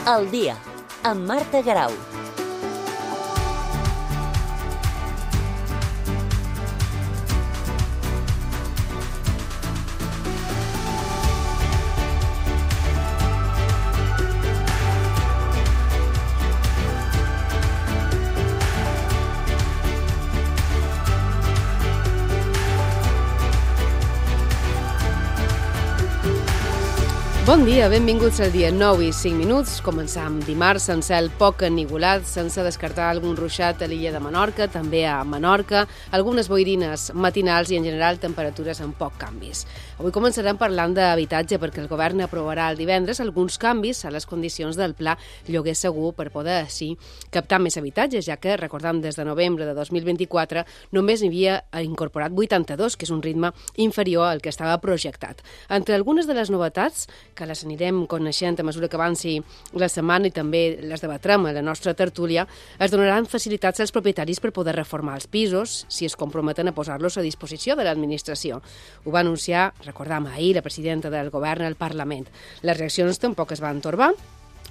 Al dia, amb Marta Garau. Bon dia, benvinguts al dia 9 i 5 minuts. Començam dimarts amb cel poc ennivolat, sense descartar algun ruixat a l'illa de Menorca, també a Menorca, algunes boirines matinals i en general temperatures amb poc canvis. Avui començarem parlant d'habitatge perquè el govern aprovarà el divendres alguns canvis a les condicions del pla lloguer segur per poder així captar més habitatges, ja que, recordam, des de novembre de 2024 només n'hi havia incorporat 82, que és un ritme inferior al que estava projectat. Entre algunes de les novetats que les anirem coneixent a mesura que avanci la setmana i també les debatrem a la nostra tertúlia, es donaran facilitats als propietaris per poder reformar els pisos si es comprometen a posar-los a disposició de l'administració. Ho va anunciar, recordam, ahir la presidenta del govern al Parlament. Les reaccions tampoc es van torbar.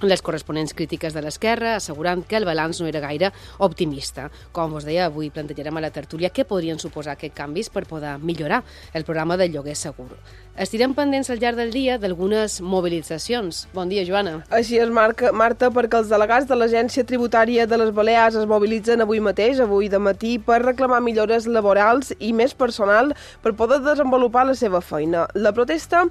Les corresponents crítiques de l'esquerra assegurant que el balanç no era gaire optimista. Com vos deia, avui plantejarem a la tertúlia què podrien suposar aquests canvis per poder millorar el programa del lloguer segur. Estirem pendents al llarg del dia d'algunes mobilitzacions. Bon dia, Joana. Així és, Marta, perquè els delegats de l'Agència Tributària de les Balears es mobilitzen avui mateix, avui de matí, per reclamar millores laborals i més personal per poder desenvolupar la seva feina. La protesta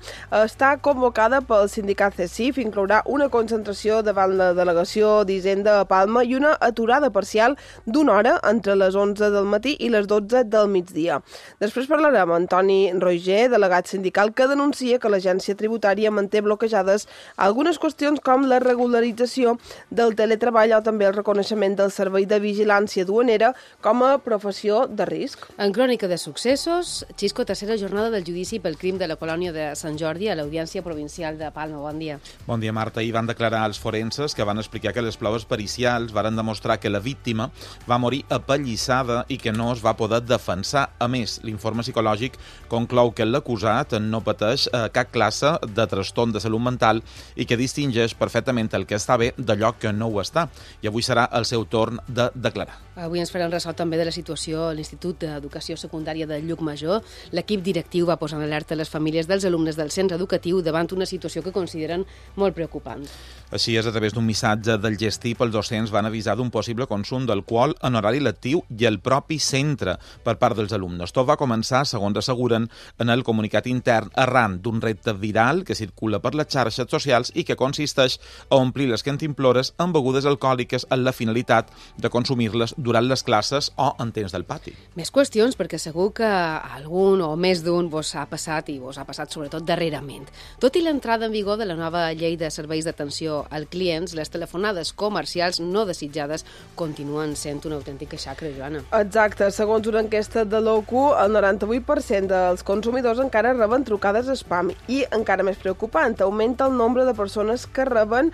està convocada pel sindicat CECIF, inclourà una concentració davant la delegació d'Hisenda a Palma i una aturada parcial d'una hora entre les 11 del matí i les 12 del migdia. Després parlarem amb Antoni Roger, delegat sindical, que denuncia que l'agència tributària manté bloquejades algunes qüestions com la regularització del teletreball o també el reconeixement del servei de vigilància duanera com a professió de risc. En crònica de successos, Xisco, tercera jornada del judici pel crim de la colònia de Sant Jordi a l'Audiència Provincial de Palma. Bon dia. Bon dia, Marta. Ahir van declarar els forenses que van explicar que les proves pericials varen demostrar que la víctima va morir apallissada i que no es va poder defensar. A més, l'informe psicològic conclou que l'acusat no pateix cap classe de trastorn de salut mental i que distingeix perfectament el que està bé d'allò que no ho està. I avui serà el seu torn de declarar. Avui ens farem ressò també de la situació a l'Institut d'Educació Secundària de Llucmajor. L'equip directiu va posar en alerta les famílies dels alumnes del centre educatiu davant una situació que consideren molt preocupant. Així és, a través d'un missatge del Gestip, els docents van avisar d'un possible consum d'alcohol en horari lectiu i el propi centre per part dels alumnes. Tot va començar, segons asseguren, en el comunicat intern arran d'un repte viral que circula per les xarxes socials i que consisteix a omplir les cantimplores amb begudes alcohòliques amb la finalitat de consumir-les durant les classes o en temps del pati. Més qüestions, perquè segur que algun o més d'un vos ha passat i vos ha passat sobretot darrerament. Tot i l'entrada en vigor de la nova llei de serveis d'atenció als clients, les telefonades comercials no desitjades continuen sent una autèntica xacra, Joana. Exacte. Segons una enquesta de l'OCU, el 98% dels consumidors encara reben trucades spam i, encara més preocupant, augmenta el nombre de persones que reben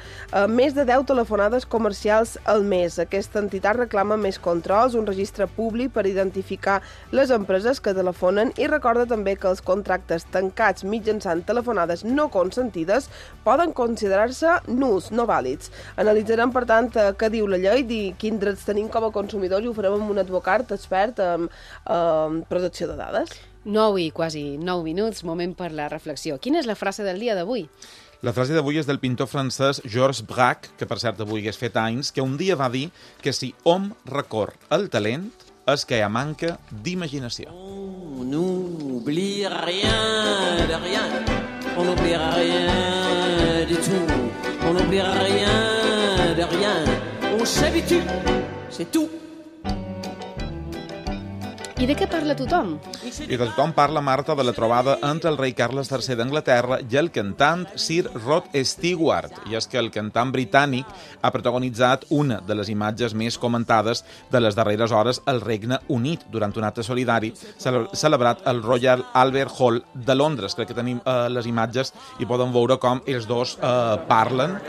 més de 10 telefonades comercials al mes. Aquesta entitat reclama més controls, un registre públic per identificar les empreses que telefonen i recorda també que els contractes tancats mitjançant telefonades no consentides poden considerar-se nuls, no vàlids. Analitzarem, per tant, què diu la llei i quins drets tenim com a consumidors i ho farem amb un advocat expert en protecció de dades. 9 i quasi 9 minuts, moment per la reflexió. Quina és la frase del dia d'avui? La frase d'avui és del pintor francès Georges Braque, que per cert avui hagués fet anys, que un dia va dir que si hom recorre el talent és que hi ha manca d'imaginació. On n'oublie rien de rien, on n'oubliera rien du tout, on n'oubliera rien de rien, on s'habitue, c'est tout. I de què parla tothom? I de tothom parla, Marta, de la trobada entre el rei Carles III d'Anglaterra i el cantant Sir Rod Stewart. I és que el cantant britànic ha protagonitzat una de les imatges més comentades de les darreres hores al Regne Unit durant un acte solidari celebrat al Royal Albert Hall de Londres. Crec que tenim les imatges i podem veure com els dos parlen.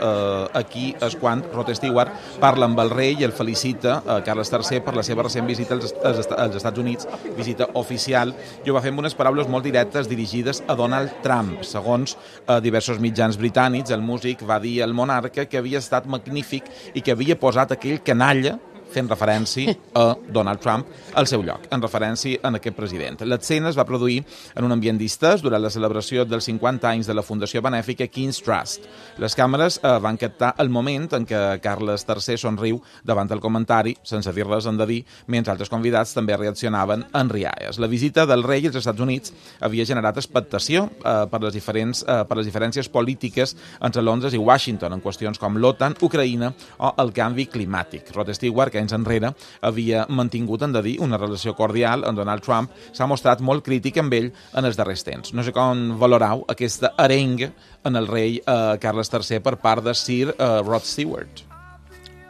Aquí és quan Rod Stewart parla amb el rei i el felicita Carles III per la seva recent visita als Estats Units Units, visita oficial, i ho va fer amb unes paraules molt directes dirigides a Donald Trump. Segons diversos mitjans britànics, el músic va dir al monarca que havia estat magnífic i que havia posat aquell canalla, fent referència a Donald Trump al seu lloc, en referència a aquest president. L'escena es va produir en un ambient distès durant la celebració dels 50 anys de la Fundació Benèfica King's Trust. Les càmeres van captar el moment en què Carles III somriu davant el comentari, sense dir res en de dir, mentre altres convidats també reaccionaven en rialles. La visita del rei als Estats Units havia generat expectació per les diferències polítiques entre Londres i Washington en qüestions com l'OTAN, Ucraïna o el canvi climàtic. Rod Stewart, que anys enrere havia mantingut, en de dir, una relació cordial amb Donald Trump, s'ha mostrat molt crític amb ell en els darrers temps. No sé com valorau aquesta arenga en el rei Carles III per part de Sir Rod Stewart.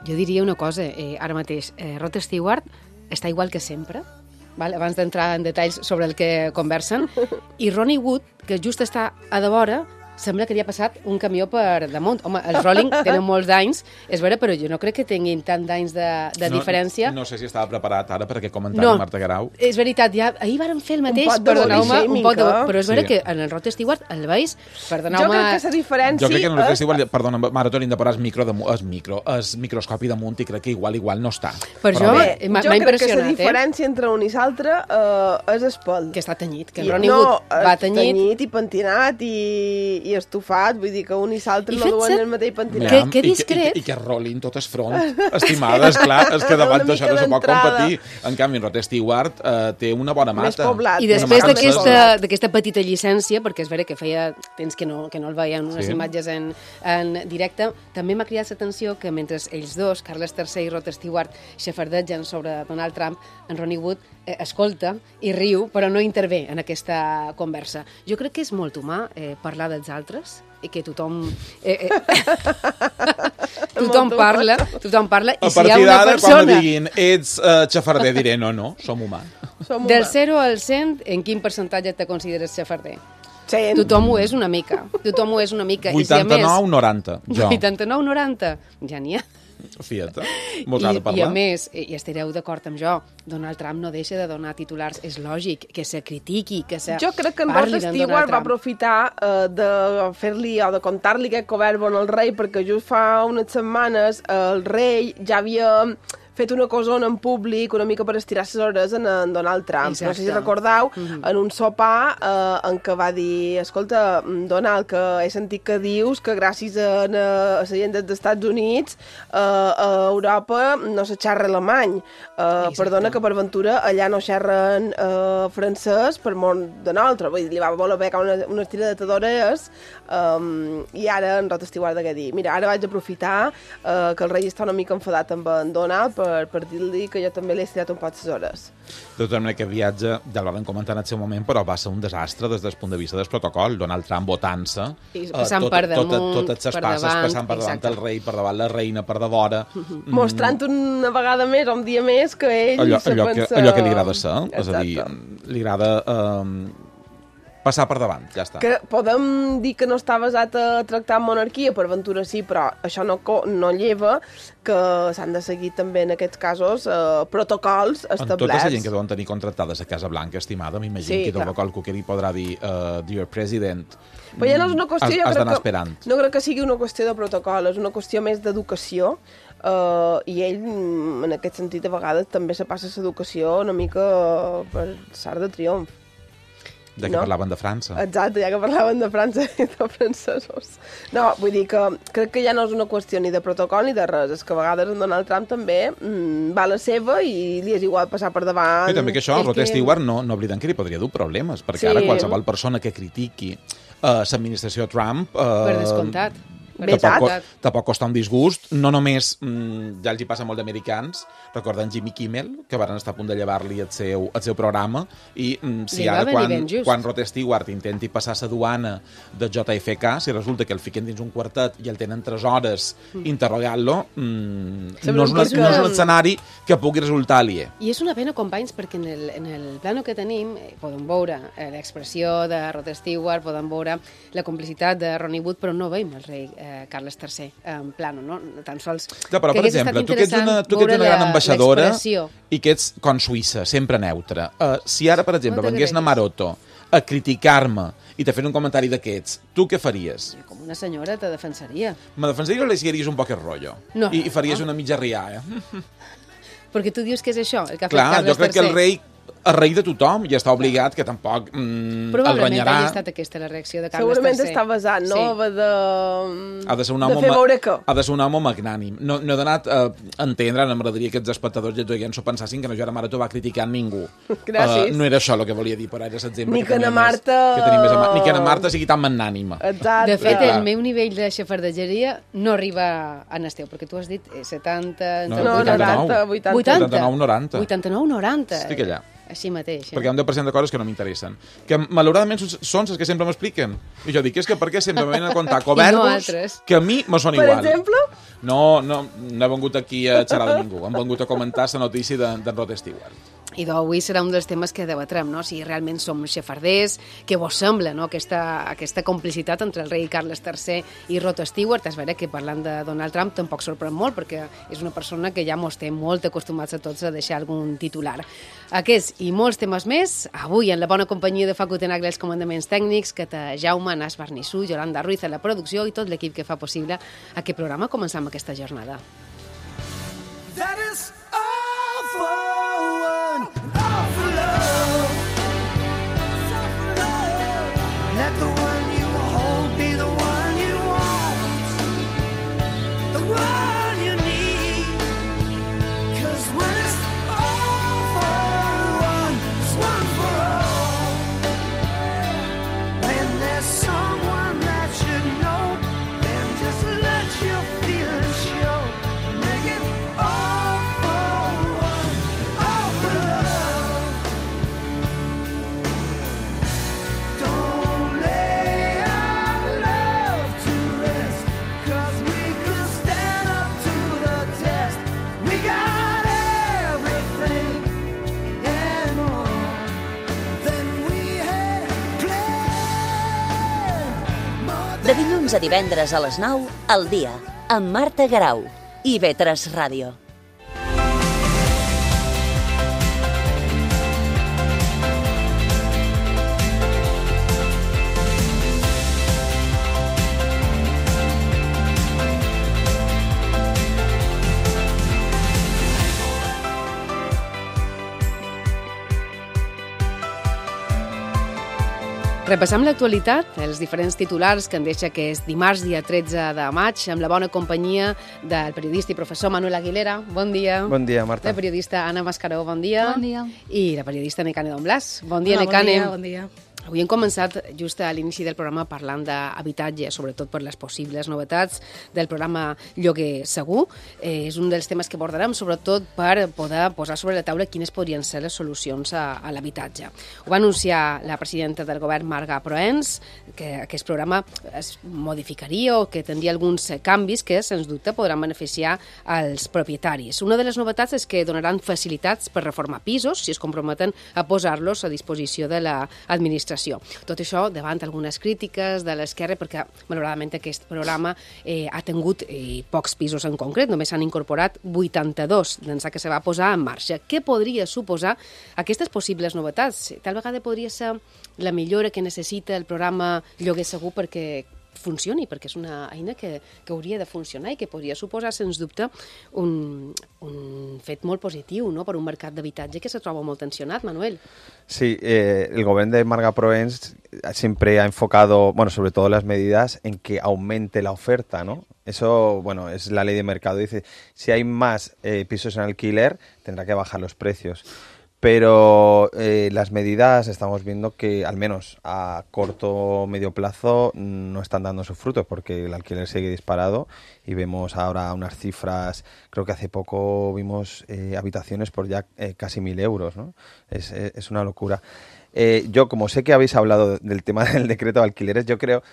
Jo diria una cosa, ara mateix, Rod Stewart està igual que sempre, val? Abans d'entrar en detalls sobre el que conversen, i Ronnie Wood, que just està a de vora, sembla que li ha passat un camió per damunt. Home, els Rolling tenen molts d'anys, és vera, però jo no crec que tinguin tant d'anys de diferència. No sé si estava preparat ara per aquest comentari, Marta Guerau. És veritat, ja ahir vàrem fer el mateix, perdoneu-me, un poc de... Però és vera que en el Rod Stewart el veus, perdoneu-me... Jo crec que la diferència... Jo crec que en el Rod Stewart, perdona, Mara, t'hauríem de posar el microscopi damunt i crec que igual no està. Per això m'ha impressionat, Jo crec que la diferència entre un i l'altre és el pèl. Que està tenyit, que en Ronnie Wood va tenyit. Tenyit i pentinat i estufat, vull dir que un i l'altre no duen el mateix pentinat. Que discret. I que rolin tot el front, estimada, esclar, és que davant d'això no se pot competir. En canvi, en Rod Stewart té una bona mata. Més poblat. I després d'aquesta petita llicència, perquè és vera que feia temps que no el veien unes imatges en directe, també m'ha cridat l'atenció que mentre ells dos, Carles III i Rod Stewart, xafardegen sobre Donald Trump, en Ronnie Wood escolta i riu, però no intervé en aquesta conversa. Jo crec que és molt humà parlar dels altres i que tothom parla i si hi ha una persona... Quan me diguin ets xafarder, diré no, som humà. Del 0 al 100, en quin percentatge te consideres xafarder? 100. Tothom ho és una mica. 89-90, jo. 89-90, ja n'hi ha. Fiat, mos ha de parlar. I a més, i estareu d'acord amb jo, Donald Trump no deixa de donar titulars. És lògic que se critiqui, que se Jo crec que en Rod Stewart va aprofitar de fer-li o de contar-li aquest coverbo al rei, perquè just fa unes setmanes el rei ja havia fet una cosona en públic una mica per estirar les hores en Donald Trump. Exacte. No sé si recordeu, en un sopar en què va dir, escolta, Donald, que he sentit que dius que gràcies a la gent dels Estats Units a Europa no se xerra alemany. Perdona que per ventura allà no xerren francès per món de nosaltres. Vull dir, li va voler pegar una estiradeta d'orelles i ara en Rod Stewart de què dir. Mira, ara vaig aprofitar que el rei està una mica enfadat amb en Donald per dir-li que jo també l'he estirat un poc les hores. De tota manera, aquest viatge, ja el vam comentar en el seu moment, però va ser un desastre des del punt de vista del protocol. Donald Trump votant-se, passant per damunt, totes les passes, passant per davant el rei, per davant la reina, per davora. Mostrant una vegada més, un dia més, que ell allò que li agrada ser, és a dir, li agrada passar per davant, ja està. Que podem dir que no està basat a tractar amb monarquia, per ventura sí, però això no lleva que s'han de seguir també en aquests casos protocols establerts. En tota la gent que deuen tenir contractades a Casa Blanca, estimada, m'imagino que tot el que hi podrà dir Dear President, però ja no és una qüestió, has d'anar esperant. No crec que sigui una qüestió de protocol, és una qüestió més d'educació, i ell, en aquest sentit, a vegades també se passa l'educació una mica per sart de triomf. Ja que parlaven de França. Exacte, ja que parlaven de França i de francesos. No, vull dir que crec que ja no és una qüestió ni de protocol ni de res, és que a vegades en Donald Trump també va a la seva i li és igual passar per davant. I també que això, el Rod Stewart no oblidem que li podria dur problemes, perquè ara qualsevol persona que critiqui l'administració Trump... Per descomptat. Tampoc costa un disgust, no només ja els hi passa molt d'americans, recorden Jimmy Kimmel, que van estar a punt de llevar-li el seu programa, i si ara quan Rod Stewart intenti passar la duana de JFK, si resulta que el fiquen dins un quartet i el tenen 3 hores interrogant-lo, no és un escenari que pugui resultar aliè. I és una pena, companys, perquè en el plano que tenim podem veure l'expressió de Rod Stewart, podem veure la complicitat de Ronnie Wood, però no veiem el rei Carles III en plano, no? Tan sols... Ja, però, per exemple, tu que ets una gran ambaixadora i que ets com Suïssa, sempre neutra. Si ara, per exemple, vengués na Maroto a criticar-me i te fes un comentari d'aquests, tu què faries? Com una senyora te defensaria. Me defensaries o li seguiries un poc el rotllo? No. I faries una mitja rià, Perquè tu dius que és això, el que ha fet Clar, Carles III. jo crec que el rei rei de tothom i està obligat que tampoc el renyarà. Probablement hagi estat aquesta la reacció de Carles III. Segurament està basat, no? Ha de ser un home, de fer veure que... Ha de ser un home magnànim. No he donat a entendre, m'agradaria que els espectadors i els s'ho pensassin que no Joana Maroto va criticar ningú. Gràcies. No era això el que volia dir, però era l'exemple ni que na Marta... Ni que na Marta sigui tan magnànima. Exacte. De fet, el meu nivell de xafardegeria no arriba a Nesteu, perquè tu has dit 70... No, 90, 80. 89, 90. 89, 90. Estic allà. Així mateix. Perquè hi ha un 10% de coses que no m'interessen. Que, malauradament, són les que sempre m'expliquen. I jo dic, és que per què sempre me venen a contar coberts que a mi me són igual. Per exemple? No he vengut aquí a xerrar de ningú. Hem vengut a comentar la notícia d'en Rod Stewart. I d'avui serà un dels temes que debatrem, no? Si realment som xafarders, què vos sembla, no? Aquesta complicitat entre el rei Carles III i Rod Stewart. És vera que parlant de Donald Trump tampoc sorprèn molt, perquè és una persona que ja mos té molt acostumats a tots a deixar algun titular. Aquests i molts temes més, avui en la bona companyia de Facu Tenagre els comandaments tècnics, que té Jaume, Nas Barnissú, Yolanda Ruiz a la producció i tot l'equip que fa possible aquest programa. Començam aquesta jornada. That is all for one, all for love. Let the one you hold be the one you want, the one you need. 'Cause when it's all for one, it's one for all. When there's someone that you know, then just let your feelings show. Make it all for one, all for love. Don't lay our love to rest, 'cause we could stand up to the test. We got everything and more than we had planned. De dilluns a divendres a les 9, al dia, amb Marta Garau i Vetres Ràdio. Repassam l'actualitat, els diferents titulars que en deixa que és dimarts, dia 13 de maig, amb la bona companyia del periodista i professor Manuel Aguilera. Bon dia. Bon dia, Marta. La periodista Anna Mascaró, bon dia. Bon dia. I la periodista Necane Don Blas. Bon dia, Hola, Necane. Bon dia. Avui hem començat just a l'inici del programa parlant d'habitatge, sobretot per les possibles novetats del programa Lloguer Segur. És un dels temes que abordarem, sobretot per poder posar sobre la taula quines podrien ser les solucions a l'habitatge. Ho va anunciar la presidenta del govern, Marga Proens, que aquest programa es modificaria o que tindria alguns canvis que, sens dubte, podran beneficiar als propietaris. Una de les novetats és que donaran facilitats per reformar pisos si es comprometen a posar-los a disposició de l'administració. Tot això davant algunes crítiques de l'esquerra, perquè malauradament aquest programa ha tingut pocs pisos en concret, només s'han incorporat 82 d'ençà que se va posar en marxa. Què podria suposar aquestes possibles novetats? Tal vegada podria ser la millora que necessita el programa Lloguer Segur perquè funcioni, perquè és una eina que hauria de funcionar i que podria suposar, sens dubte, un fet molt positiu, no?, per un mercat d'habitatge que se troba molt tensionat, Manuel. Sí, el gobierno de Marga Proens siempre ha enfocado, bueno, sobre todo las medidas en que aumente la oferta, ¿no? Eso, bueno, es la ley de mercado. Dice, si hay más pisos en alquiler, tendrá que bajar los precios. Pero las medidas estamos viendo que, al menos a corto o medio plazo, no están dando sus frutos porque el alquiler sigue disparado y vemos ahora unas cifras, creo que hace poco vimos habitaciones por ya casi 1.000 euros, ¿no? Es una locura. Yo, como sé que habéis hablado del tema del decreto de alquileres, yo creo...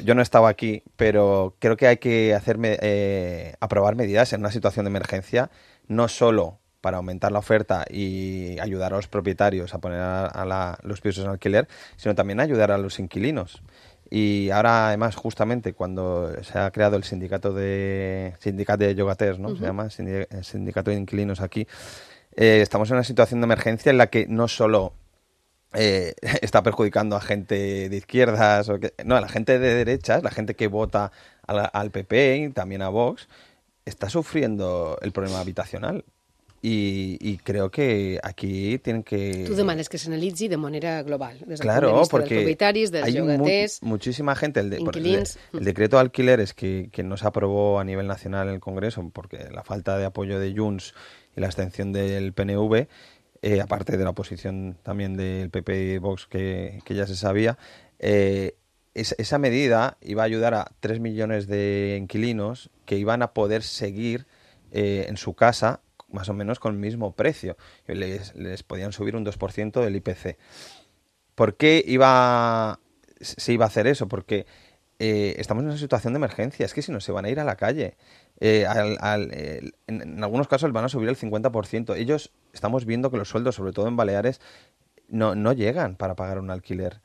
yo no estaba aquí, pero creo que hay que aprobar medidas en una situación de emergencia, no solo para aumentar la oferta y ayudar a los propietarios a poner los pisos en alquiler, sino también ayudar a los inquilinos. Y ahora, además, justamente cuando se ha creado el sindicato de llogaters, ¿no? Se llama sindicato de inquilinos aquí, estamos en una situación de emergencia en la que no solo está perjudicando a gente de izquierdas, no, a la gente de derechas, la gente que vota al PP y también a Vox, está sufriendo el problema habitacional. I creo que aquí tienen que... Tu demanes que s'analitzi de manera global, des del claro, punt de vista dels porque propietaris, dels hay llogaters... muchísima gente. inquilins. El decreto de alquileres que no se aprobó a nivel nacional en el Congreso porque la falta de apoyo de Junts y la abstención del PNV, aparte de la oposición también del PP y Vox que ya se sabía, esa medida iba a ayudar a 3 millones de inquilinos que iban a poder seguir en su casa más o menos con el mismo precio. Les podían subir un 2% del IPC. ¿Por qué se iba a hacer eso? Porque estamos en una situación de emergencia. Es que si no, se van a ir a la calle. En algunos casos van a subir el 50%. Estamos viendo que los sueldos, sobre todo en Baleares, no llegan para pagar un alquiler.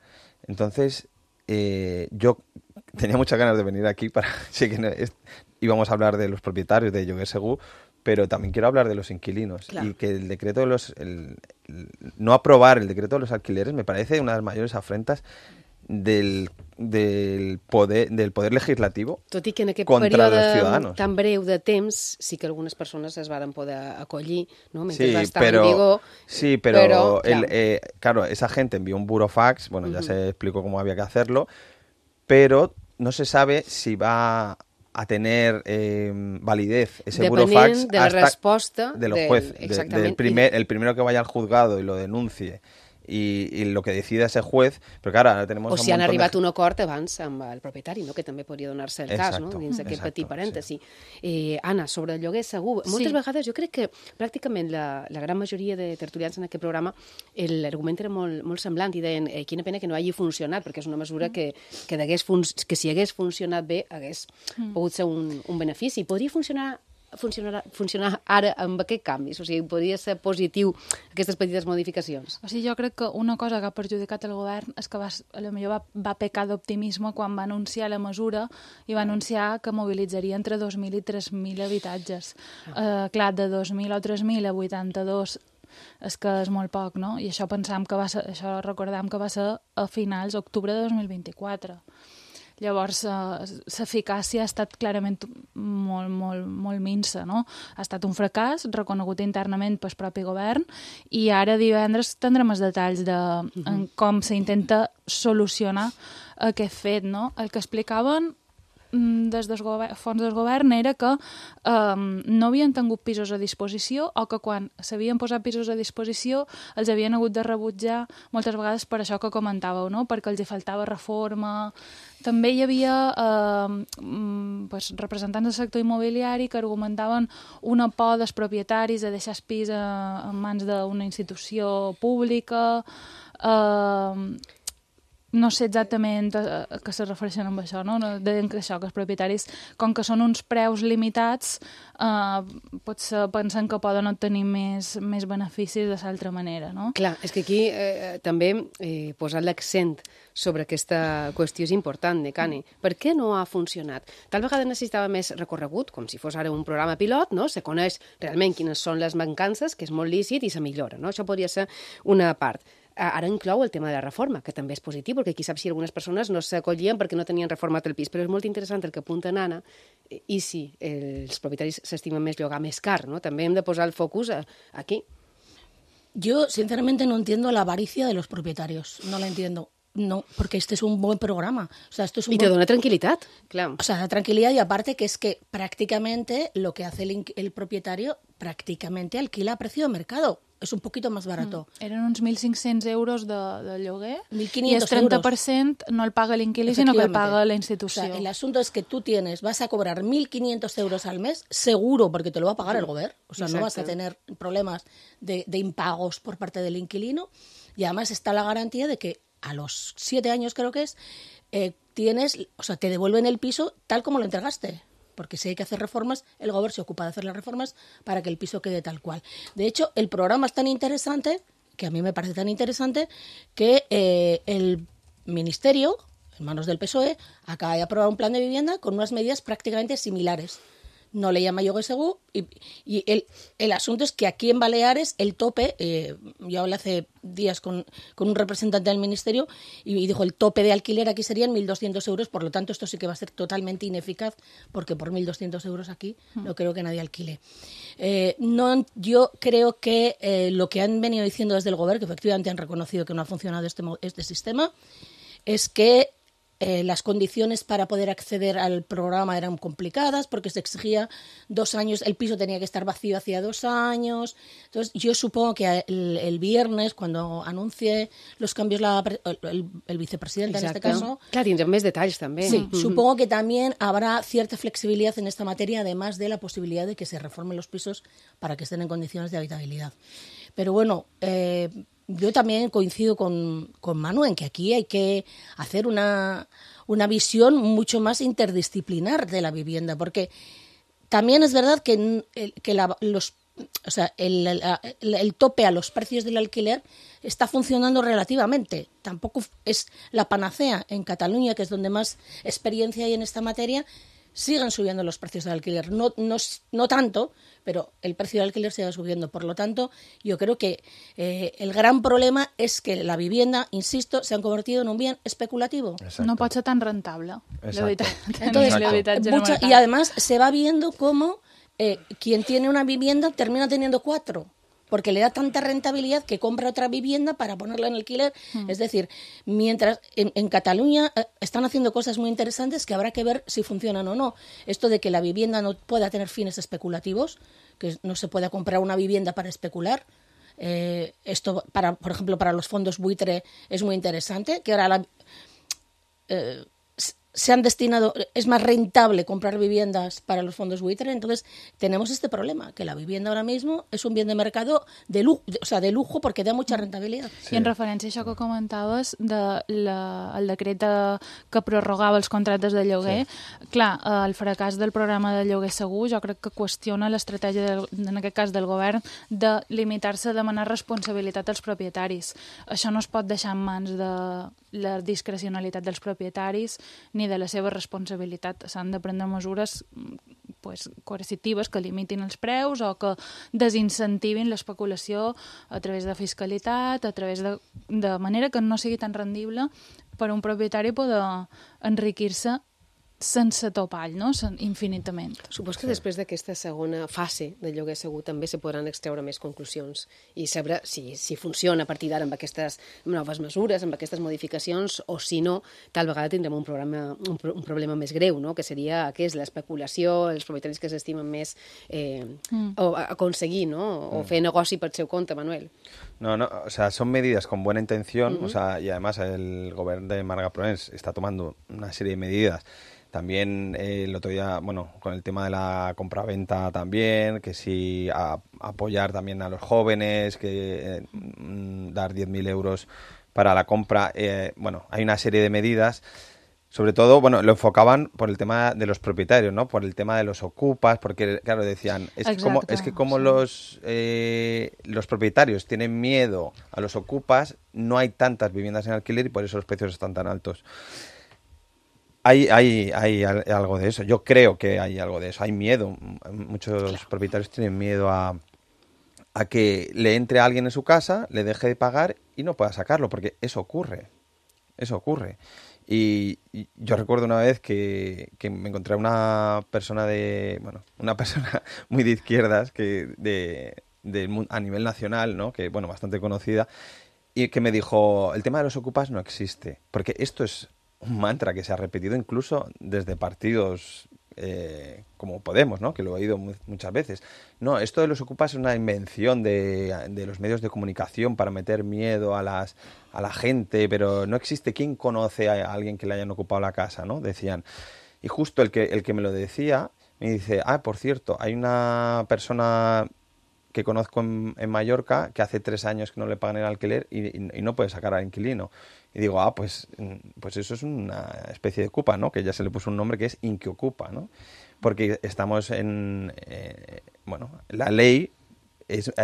Entonces, yo tenía muchas ganas de venir aquí para... Sí que íbamos a hablar de los propietarios de Lloguer Segur, pero también quiero hablar de los inquilinos. Claro. Y que el decreto de no aprobar el decreto de los alquileres me parece una de las mayores afrentas del poder legislativo Tot i que en aquest contra los període ciudadanos. tan breu de temps sí que algunes persones es van poder acollir, ¿no? Mentre Sí, va estar en vigor. Sí, pero claro. claro, esa gente envió un burofax, bueno, ya se explicó cómo había que hacerlo, pero no se sabe si va a tener validez ese burofax de la resposta de los jueces, el primero que vaya al juzgado y lo denuncie y lo que decida ese juez, però claro, ara tenemos o si han arribat a un acord abans amb el propietari, no? Que també podria donar-se el cas, no? Dins d'aquest petit parèntesi. Sí. Anna, sobre el lloguer segur, moltes vegades jo crec que pràcticament la gran majoria de tertulians en aquest programa l'argument era molt semblant i deien quina pena que no hagi funcionat, perquè és una mesura que si hagués funcionat bé hagués pogut ser un benefici. Podria funcionar ara amb aquests canvis? O sigui, podria ser positiu aquestes petites modificacions? O sigui, jo crec que una cosa que ha perjudicat el govern és que potser va pecar d'optimisme quan va anunciar la mesura i va anunciar que mobilitzaria entre 2.000 i 3.000 habitatges. Clar, de 2.000 o 3.000 a 82 és que és molt poc, no? I això recordem que va ser a finals d'octubre de 2024. Llavors, l'eficàcia ha estat clarament molt minsa, no? Ha estat un fracàs reconegut internament pel propi govern i ara divendres tindrem els detalls de com s'intenta solucionar aquest fet, no? El que explicaven des del fons del govern era que no havien tingut pisos a disposició o que quan s'havien posat pisos a disposició els havien hagut de rebutjar moltes vegades per això que comentàveu, no? Perquè els hi faltava reforma. També hi havia representants del sector immobiliari que argumentaven una por dels propietaris de deixar el pis en mans d'una institució pública. No sé exactament a què se refereixen amb això, no? Deien que això, que els propietaris, com que són uns preus limitats, potser pensen que poden obtenir més beneficis de l'altra manera, no? Clar, és que aquí també posar l'accent sobre aquesta qüestió és important, Necane. Per què no ha funcionat? Tal vegada necessitava més recorregut, com si fos ara un programa pilot, no? Se coneix realment quines són les mancances, que és molt lícit, i se millora, no? Això podria ser una part. Ara inclou el tema de la reforma, que també és positiu, perquè qui sap si algunes persones no s'acollien perquè no tenien reformat el pis. Però és molt interessant el que apunta Anna, i si els propietaris s'estimen més llogar més car, ¿no? També hem de posar el focus aquí. Yo, sinceramente, no entiendo la avaricia de los propietarios. No la entiendo. No, porque este es un buen programa. O sea, esto es y te dona tranquilidad, claro. O sea, da tranquilidad y aparte que es que prácticamente lo que hace el propietario prácticamente alquila a precio de mercado. És un poquito más barato. Eren uns 1.500 euros de lloguer 1.500 i el 30% no el paga l'inquilí, sinó que el paga la institució. O sea, el asunto es que tú vas a cobrar 1.500 euros al mes, seguro, porque te lo va a pagar el gobierno. O sea, no vas a tener problemas de impagos por parte del inquilino. Y además está la garantía de que a los 7 años, creo que es, te devuelven el piso tal como lo entregaste. Porque si hay que hacer reformas, el gobierno se ocupa de hacer las reformas para que el piso quede tal cual. De hecho, el programa es tan interesante, que a mí me parece tan interesante, que el ministerio, en manos del PSOE, acaba de aprobar un plan de vivienda con unas medidas prácticamente similares. No le llama Lloguer Segur y el asunto es que aquí en Baleares el tope, yo hablé hace días con un representante del ministerio y dijo el tope de alquiler aquí serían 1.200 euros, por lo tanto esto sí que va a ser totalmente ineficaz porque por 1.200 euros aquí no creo que nadie alquile. Yo creo que lo que han venido diciendo desde el Gobierno, que efectivamente han reconocido que no ha funcionado este sistema, es que las condiciones para poder acceder al programa eran complicadas porque se exigía 2 años, el piso tenía que estar vacío hacía 2 años. Entonces, yo supongo que el viernes, cuando anuncie los cambios el vicepresidente, Exacte. en este caso... Clar, tindrem més detalls, també. Sí, supongo que también habrá cierta flexibilidad en esta materia, además de la posibilidad de que se reformen los pisos para que estén en condiciones de habitabilidad. Pero bueno... yo también coincido con Manu en que aquí hay que hacer una visión mucho más interdisciplinar de la vivienda, porque también es verdad que el tope a los precios del alquiler está funcionando relativamente. Tampoco es la panacea. En Cataluña, que es donde más experiencia hay en esta materia, siguen subiendo los precios del alquiler. No tanto, pero el precio del alquiler sigue subiendo. Por lo tanto, yo creo que el gran problema es que la vivienda, insisto, se han convertido en un bien especulativo. Exacto. No pot ser tan rentable. Entonces, y además se va viendo cómo quien tiene una vivienda termina teniendo 4. Porque le da tanta rentabilidad que compra otra vivienda para ponerla en alquiler. Es decir, mientras en Cataluña están haciendo cosas muy interesantes que habrá que ver si funcionan o no. Esto de que la vivienda no pueda tener fines especulativos, que no se pueda comprar una vivienda para especular. Esto, por ejemplo, para los fondos buitre es muy interesante, que ahora se han destinado, es más rentable comprar viviendas para los fondos buitre, entonces tenemos este problema, que la vivienda ahora mismo es un bien de mercado de lujo porque da mucha rentabilitat. Sí. I en referència a això que comentaves el decret que prorrogava els contractes de lloguer, clar, el fracàs del programa de lloguer segur jo crec que qüestiona l'estratègia, en aquest cas del govern, de limitar-se a demanar responsabilitat als propietaris. Això no es pot deixar en mans de la discrecionalitat dels propietaris ni de la seva responsabilitat. S'han de prendre mesures coercitives que limitin els preus o que desincentivin l'especulació a través de fiscalitat, a través de manera que no sigui tan rendible per a un propietari poder enriquir-se sense topall, no? Infinitament. Supos que després d'aquesta segona fase de lloguer segur també se podran extreure més conclusions i saber si funciona a partir d'ara amb aquestes noves mesures, amb aquestes modificacions, o si no, tal vegada tindrem un problema més greu, no? Que seria l'especulació, els propietaris que s'estimen més o aconseguir, no? O fer negoci per seu compte, Manuel. No, o sea, son medidas con buena intención, o sea, y además el gobierno de Marga Proens está tomando una serie de medidas. También el otro día, bueno, con el tema de la compraventa también, que sí, apoyar también a los jóvenes, que dar 10.000 euros para la compra. Bueno, hay una serie de medidas. Sobre todo, bueno, lo enfocaban por el tema de los propietarios, ¿no? Por el tema de los ocupas, porque, claro, decían, es que como los propietarios tienen miedo a los ocupas, no hay tantas viviendas en alquiler y por eso los precios están tan altos. Hay algo de eso. Yo creo que hay algo de eso. Hay miedo. Muchos propietarios tienen miedo a que le entre alguien en su casa, le deje de pagar y no pueda sacarlo, porque eso ocurre. Eso ocurre. Y yo recuerdo una vez que me encontré a una persona muy de izquierdas, a nivel nacional, ¿no? Que, bueno, bastante conocida, y que me dijo, el tema de los ocupas no existe, porque esto es un mantra que se ha repetido incluso desde partidos como Podemos, ¿no? Que lo he oído muchas veces. No, esto de los ocupas es una invención de los medios de comunicación para meter miedo a la gente, pero no existe. ¿Quién conoce a alguien que le hayan ocupado la casa, ¿no? Decían. Y justo el que me lo decía me dice, por cierto, hay una persona que conozco en Mallorca que hace 3 años que no le pagan el alquiler y no puede sacar al inquilino. Y digo, pues eso es una especie de ocupa, ¿no? Que ya se le puso un nombre que es inquiocupa, ¿no? Porque estamos la ley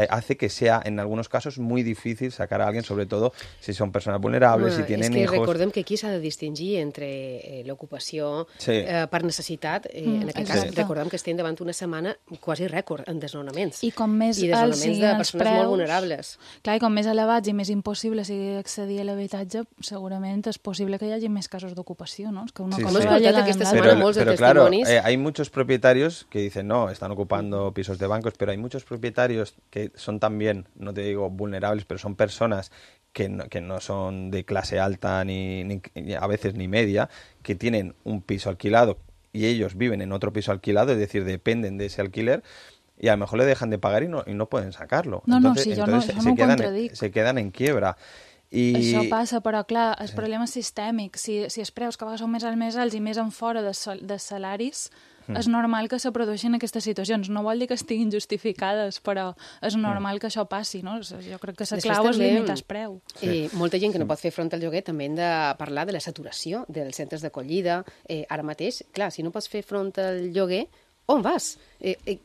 hace que sea, en algunos casos, muy difícil sacar a alguien, sobre todo si son personas vulnerables, si tienen és que hijos. Recordem que aquí s'ha de distingir entre l'ocupació per necessitat. En aquest cas, recordem que estem davant una setmana quasi rècord en desnonaments. I com més desnonaments siguin de els persones preus, molt vulnerables. Clar, i com més elevats i més impossible sigui accedir a l'habitatge, segurament és possible que hi hagi més casos d'ocupació, ¿no? És que una cosa va lligada amb l'altra. Pero claro, hay muchos propietarios que dicen, no, están ocupando pisos de bancos, pero hay muchos propietarios que son también, no te digo vulnerables, pero son personas que no son de clase alta ni a veces ni media, que tienen un piso alquilado y ellos viven en otro piso alquilado, es decir, dependen de ese alquiler, y a lo mejor le dejan de pagar y no pueden sacarlo. Entonces se quedan en quiebra. Això passa, però clar, el problema és sistèmic. Si els preus cada vegada són més alts i més en fora de salaris, és normal que se produeixin aquestes situacions. No vol dir que estiguin justificades, però és normal que això passi, no? Jo crec que la clau és limitar el preu. Molta gent que no pot fer front al lloguer també hem de parlar de la saturació dels centres d'acollida. Ara mateix, clar, si no pots fer front al lloguer, on vas?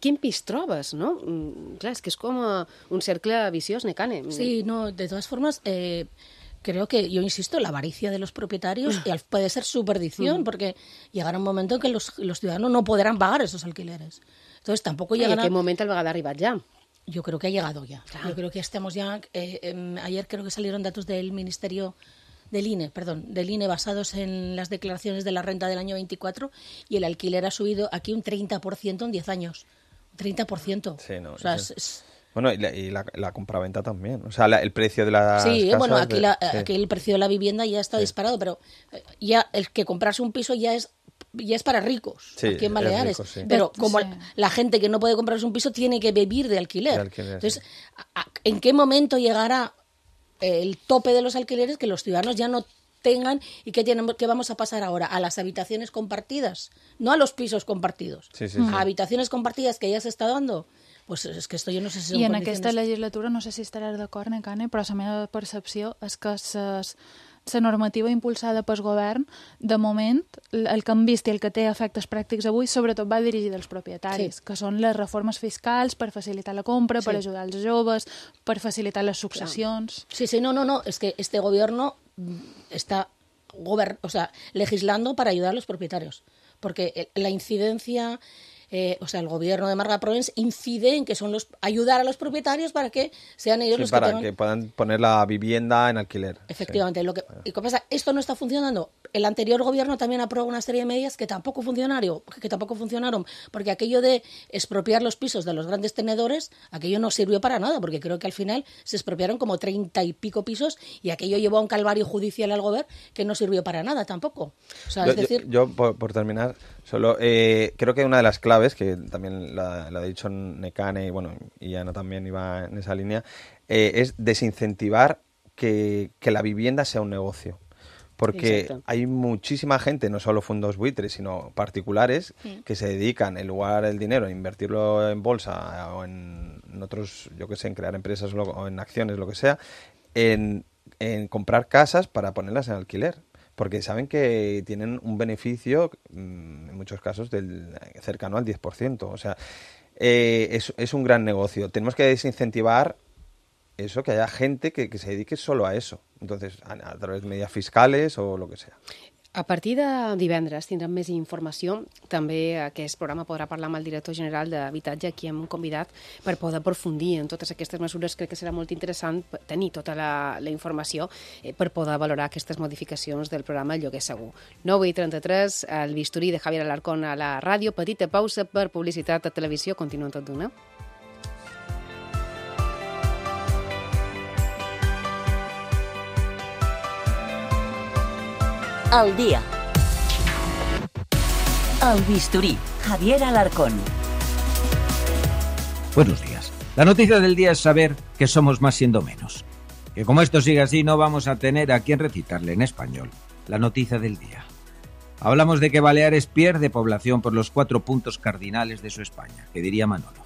Quin pis trobes, no? Clar, és que és com un cercle viciós, Nekane. Sí, no, de todas formas, creo que, yo insisto, la avaricia de los propietarios puede ser su perdición, porque llegará un momento en que los ciudadanos no podrán pagar esos alquileres. Entonces tampoco llegará... ¿En qué momento al vegada ha arribat ja? Yo creo que ha llegado ya. Claro. Yo creo que estamos ya... ayer creo que salieron datos del Ministerio... del INE basados en las declaraciones de la renta del año 24, y el alquiler ha subido aquí un 30% en 10 años. Un 30%. Sí, no, o sea, Bueno, y la compraventa también. O sea, el precio de las casas... bueno, aquí el precio de la vivienda ya está disparado, pero ya el que comprarse un piso ya es para ricos, aquí en Baleares. Rico, sí. Pero como la gente que no puede comprarse un piso tiene que vivir de alquiler. Entonces, ¿en qué momento llegará el tope de los alquileres que los ciudadanos ya no tengan? ¿Y qué vamos a pasar ahora? A las habitaciones compartidas, no a los pisos compartidos, a habitaciones compartidas que ya se está dando. Pues és que esto yo no sé si són I en condiciones... aquesta legislatura, no sé si estaràs d'acord, Nekane, però la meva percepció és que la normativa impulsada pel govern, de moment, el que hem vist i el que té efectes pràctics avui, sobretot va dirigit als propietaris, que són les reformes fiscals per facilitar la compra, per ajudar els joves, per facilitar les successions... Sí, no, es que este gobierno está legislando para ayudar a los propietarios, porque la incidencia... el gobierno de Marga Provence incide en que son ayudar a los propietarios para que sean ellos los que tengan... que puedan poner la vivienda en alquiler. Efectivamente. ¿Y qué pasa? Esto no está funcionando. El anterior gobierno también aprobó una serie de medidas que tampoco funcionaron, porque aquello de expropiar los pisos de los grandes tenedores, aquello no sirvió para nada, porque creo que al final se expropiaron como 30 y pico pisos, y aquello llevó a un calvario judicial al gobierno que no sirvió para nada tampoco. O sea, yo por terminar, solo creo que una de las claves, que también la ha dicho Nekane, y Ana también iba en esa línea, es desincentivar que la vivienda sea un negocio. Porque hay muchísima gente, no solo fondos buitres, sino particulares, que se dedican, en lugar del dinero, a invertirlo en bolsa o en otros, yo que sé, en crear empresas o en acciones, lo que sea, en comprar casas para ponerlas en alquiler. Porque saben que tienen un beneficio, en muchos casos, cercano al 10%. O sea, es un gran negocio. Tenemos que desincentivar eso, que haya gente que se dedique solo a eso. Entonces, a través de medidas fiscales o lo que sea. A partir de divendres tindrem més informació. També aquest programa podrà parlar amb el director general d'Habitatge, a qui hem convidat per poder aprofundir en totes aquestes mesures. Crec que serà molt interessant tenir tota la informació per poder valorar aquestes modificacions del programa Lloguer Segur. 9:33, el bisturí de Javier Alarcón a la ràdio. Petita pausa per publicitat a televisió. Continuen tot d'una. Al día. El bisturí, Javier Alarcón. Buenos días. La noticia del día es saber que somos más siendo menos. Que como esto sigue así no vamos a tener a quien recitarle en español la noticia del día. Hablamos de que Baleares pierde población por los 4 puntos cardinales de su España, que diría Manolo.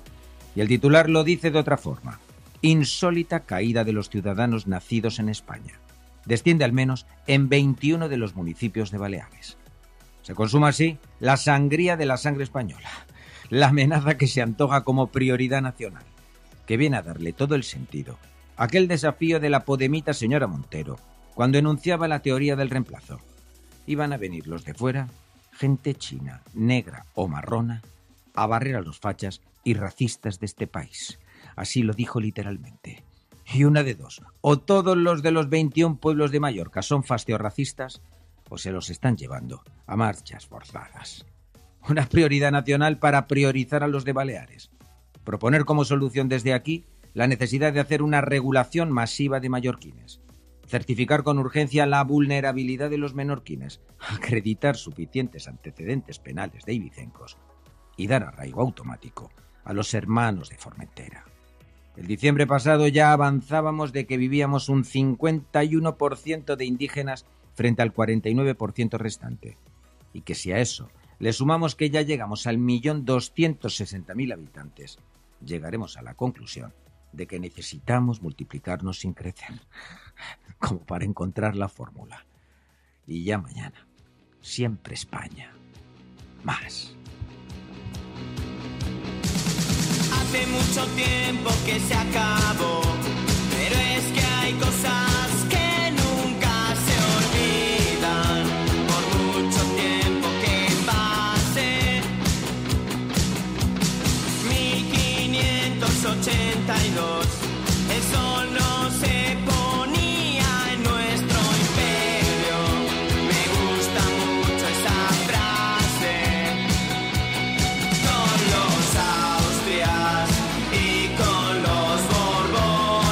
Y el titular lo dice de otra forma. Insólita caída de los ciudadanos nacidos en España. Desciende al menos en 21 de los municipios de Baleares. Se consuma así la sangría de la sangre española, la amenaza que se antoja como prioridad nacional. que viene a darle todo el sentido a aquel desafío de la podemita señora Montero, cuando enunciaba la teoría del reemplazo. Iban a venir los de fuera, gente china, negra o marrona, a barrer a los fachas y racistas de este país. Así lo dijo literalmente. Y una de dos, o todos los de los 21 pueblos de Mallorca son fascio-racistas, o se los están llevando a marchas forzadas. Una prioridad nacional para priorizar a los de Baleares. Proponer como solución desde aquí la necesidad de hacer una regulación masiva de mallorquines. Certificar con urgencia la vulnerabilidad de los menorquines. Acreditar suficientes antecedentes penales de ibicencos. Y dar arraigo automático a los hermanos de Formentera. El diciembre pasado ya avanzábamos de que vivíamos un 51% de indígenas frente al 49% restante. Y que si a eso le sumamos que ya llegamos al 1.260.000 habitantes, llegaremos a la conclusión de que necesitamos multiplicarnos sin crecer, como para encontrar la fórmula. Y ya mañana, siempre España. Más. Hace mucho tiempo que se acabó, pero es que hay cosas que nunca se olvidan, por mucho tiempo que pase. 1582, el sol no se ponía en nuestro imperio. Me gusta mucho esa frase. Con los Austrias y con los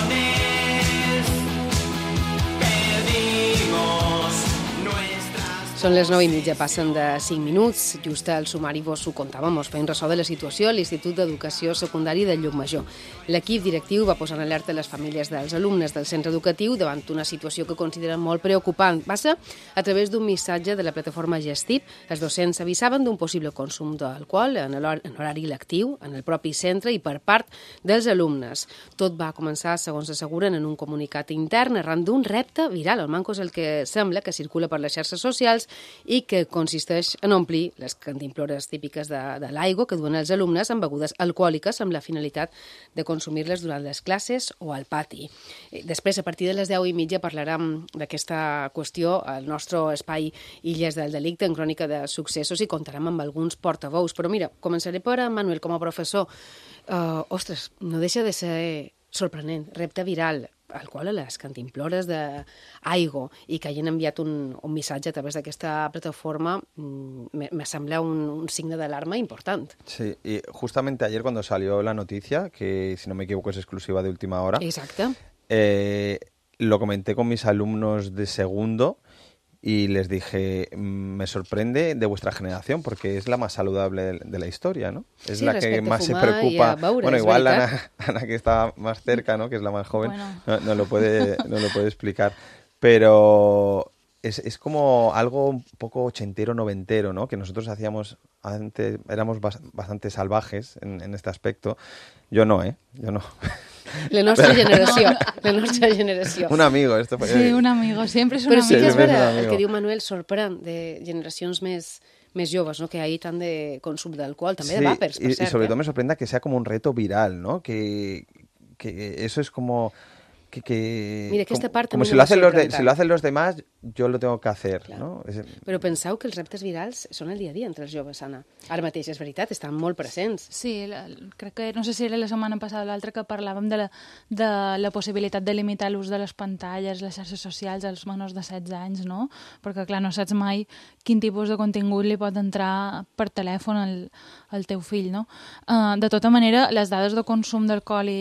Borbones perdimos nuestras... Són les 9:30, passen de 5 minuts. Just al sumari vos ho contàvem, us feim ressò de la situació a l'Institut d'Educació Secundari de Llucmajor. L'equip directiu va posar en alerta les famílies dels alumnes del centre educatiu davant una situació que consideren molt preocupant. Va ser a través d'un missatge de la plataforma Gestip. Els docents avisaven d'un possible consum d'alcohol en horari lectiu, en el propi centre i per part dels alumnes. Tot va començar, segons asseguren, en un comunicat intern arran d'un repte viral. El manco és el que sembla que circula per les xarxes socials i que consisteix en omplir les cantimplores típiques de l'aigua que duen els alumnes amb begudes alcohòliques amb la finalitat de consumir-les durant les classes o al pati. Després, a partir de les 10:30, parlarem d'aquesta qüestió al nostre espai Illes del Delicte en crònica de successos i contarem amb alguns portaveus. Però mira, començaré per Manuel com a professor. Ostres, no deixa de ser sorprenent, repte viral, alcohol a les cantimplores d'aigua i que hagin enviat un missatge a través d'aquesta plataforma me sembla un signe d'alarma important. Sí, y justamente ayer cuando salió la noticia, que si no me equivoco es exclusiva de última hora, Exacte. Lo comenté con mis alumnos de segundo y les dije, me sorprende de vuestra generación porque es la más saludable de la historia, ¿no? Es Sí, la que respecte a más se fumar preocupa. i a beure, Bueno, és igual veritat. Ana, que está más cerca, ¿no? Que es la más joven, Bueno. no lo puede explicar. Pero es como algo un poco ochentero, noventero, ¿no? Que nosotros hacíamos antes, éramos bastante salvajes en este aspecto. Yo no, ¿eh? Yo no. La nostra generació, la nostra generació. Un amigo, esto fue... Sí, un amigo, sempre és un Però sí que amigo. és Sempre és un vera, el amigo. que diu Manuel sorprèn de generacions més joves, ¿no? Que hay tant de consum d'alcohol, també de vàpers, per y cert. sobre todo me sorprende que sea como un reto viral, ¿no? Que eso es como... Mira, aquesta part como també si lo me hacen sorprèn si lo hacen los demás, yo lo tengo que hacer, Clar. ¿no? Però penseu que els reptes virals són el dia a dia entre els joves, Anna. Ara mateix, és veritat, estan molt presents. Sí, crec que, no sé si era la setmana passada o l'altra, que parlàvem de la possibilitat de limitar l'ús de les pantalles, les xarxes socials als menors de 16 anys, no? Perquè, clar, no saps mai quin tipus de contingut li pot entrar per telèfon al teu fill, no? De tota manera, les dades de consum d'alcohol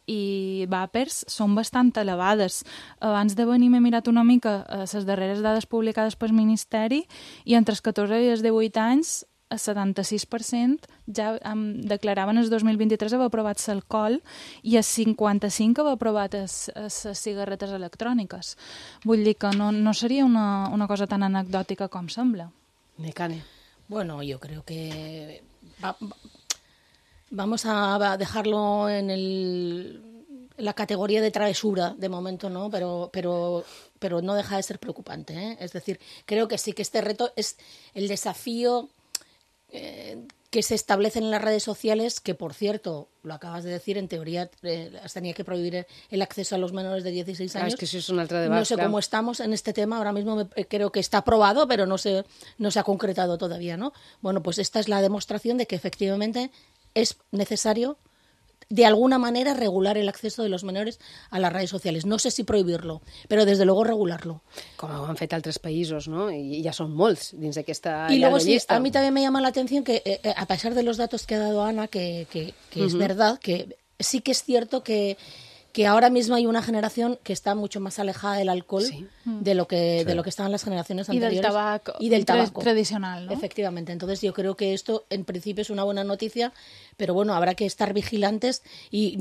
i vàpers són bastant elevades. Abans de venir m'he mirat una mica les darreres dades publicades pel Ministeri i entre els 14 i els 18 anys el 76% ja declaraven el 2023 haver provat l'alcohol i el 55% haver provat les cigarretes electròniques. Vull dir que no seria una cosa tan anecdòtica com sembla. Necane. Bueno, yo creo que vamos a dejarlo en la categoría de travesura de momento, ¿no? Pero no deja de ser preocupante, ¿eh? Es decir, creo que sí que este reto es el desafío que se establecen en las redes sociales, que por cierto, lo acabas de decir, en teoría tenía que prohibir el acceso a los menores de 16 años. Es que eso es un altre debat. No sé cómo estamos en este tema, ahora mismo creo que está aprobado, pero no se ha concretado todavía, ¿no? Bueno, pues esta es la demostración de que efectivamente es necesario de alguna manera regular el acceso de los menores a las redes sociales. No sé si prohibirlo, però desde luego regularlo. Com ho han fet altres països, ¿no? I ja són molts dins d'aquesta y luego sí, llista. a mí también me llama la atención que, a pesar de los datos que ha dado Ana, que es verdad, que sí que es cierto que ahora mismo hay una generación que está mucho más alejada del alcohol de lo que estaban las generaciones anteriores. Y del tabaco tradicional, ¿no? Efectivamente. Entonces yo creo que esto en principio es una buena noticia, pero bueno, habrá que estar vigilantes y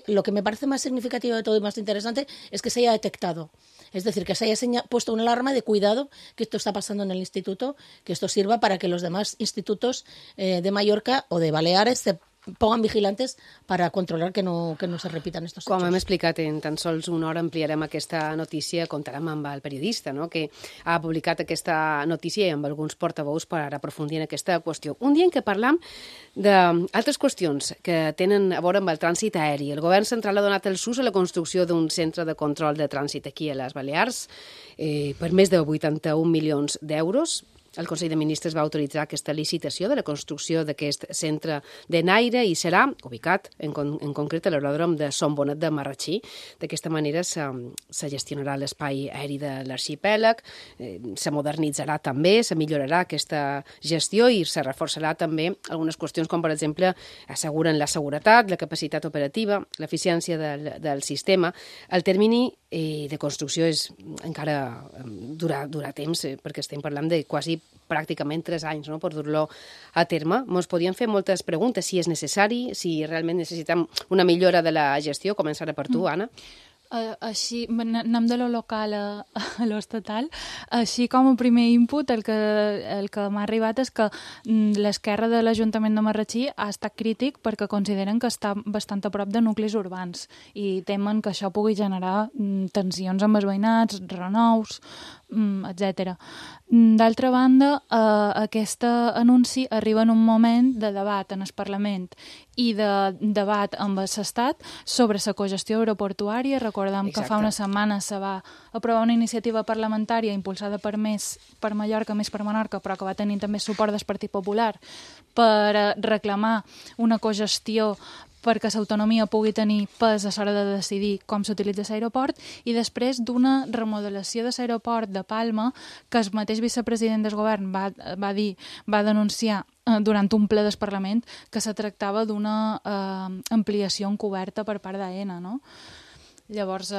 lo que me parece más significativo de todo y más interesante es que se haya detectado. Es decir, que se haya puesto una alarma de cuidado que esto está pasando en el instituto, que esto sirva para que los demás institutos de Mallorca o de Baleares se pongan vigilantes para controlar que no se repitan estos hechos. Com hem explicat, en tan sols una hora ampliarem aquesta notícia, comptarem amb el periodista, no?, que ha publicat aquesta notícia i amb alguns portaveus per aprofundir en aquesta qüestió. Un dia en què parlam d'altres qüestions que tenen a veure amb el trànsit aeri. El govern central ha donat el sus a la construcció d'un centre de control de trànsit aquí a les Balears per més de 81 milions d'euros. El Consell de Ministres va autoritzar aquesta licitació de la construcció d'aquest centre de Naire i serà ubicat en concret a l'aeròdrom de Son Bonet de Marratxí. D'aquesta manera se gestionarà l'espai aeri de l'arxipèlag, se modernitzarà també, se millorarà aquesta gestió i se reforçarà també algunes qüestions com, per exemple, asseguren la seguretat, la capacitat operativa, l'eficiència del sistema. El termini de construcció encara durarà temps, perquè estem parlant de quasi pràcticament 3 anys, no?, per dur-lo a terme. Ens podien fer moltes preguntes, si és necessari, si realment necessitem una millora de la gestió. Començarà per tu, Anna. Així, anem de lo local a lo estatal. Així com a primer input, el que m'ha arribat és que l'esquerra de l'Ajuntament de Marratxí ha estat crític perquè consideren que està bastant a prop de nuclis urbans i temen que això pugui generar tensions amb els veïnats, renous, etc. D'altra banda, aquest anunci arriba en un moment de debat en el Parlament i de debat amb l'Estat sobre la cogestió aeroportuària. Recordem que fa una setmana se va aprovar una iniciativa parlamentària impulsada per Mallorca, més per Menorca, però que va tenir també suport del Partit Popular per reclamar una cogestió perquè l'autonomia pugui tenir pes a l'hora de decidir com s'utilitza l'aeroport, i després d'una remodelació de l'aeroport de Palma que el mateix vicepresident del govern va denunciar durant un ple del Parlament que se tractava d'una ampliació encoberta per part d'AENA, no? Llavors,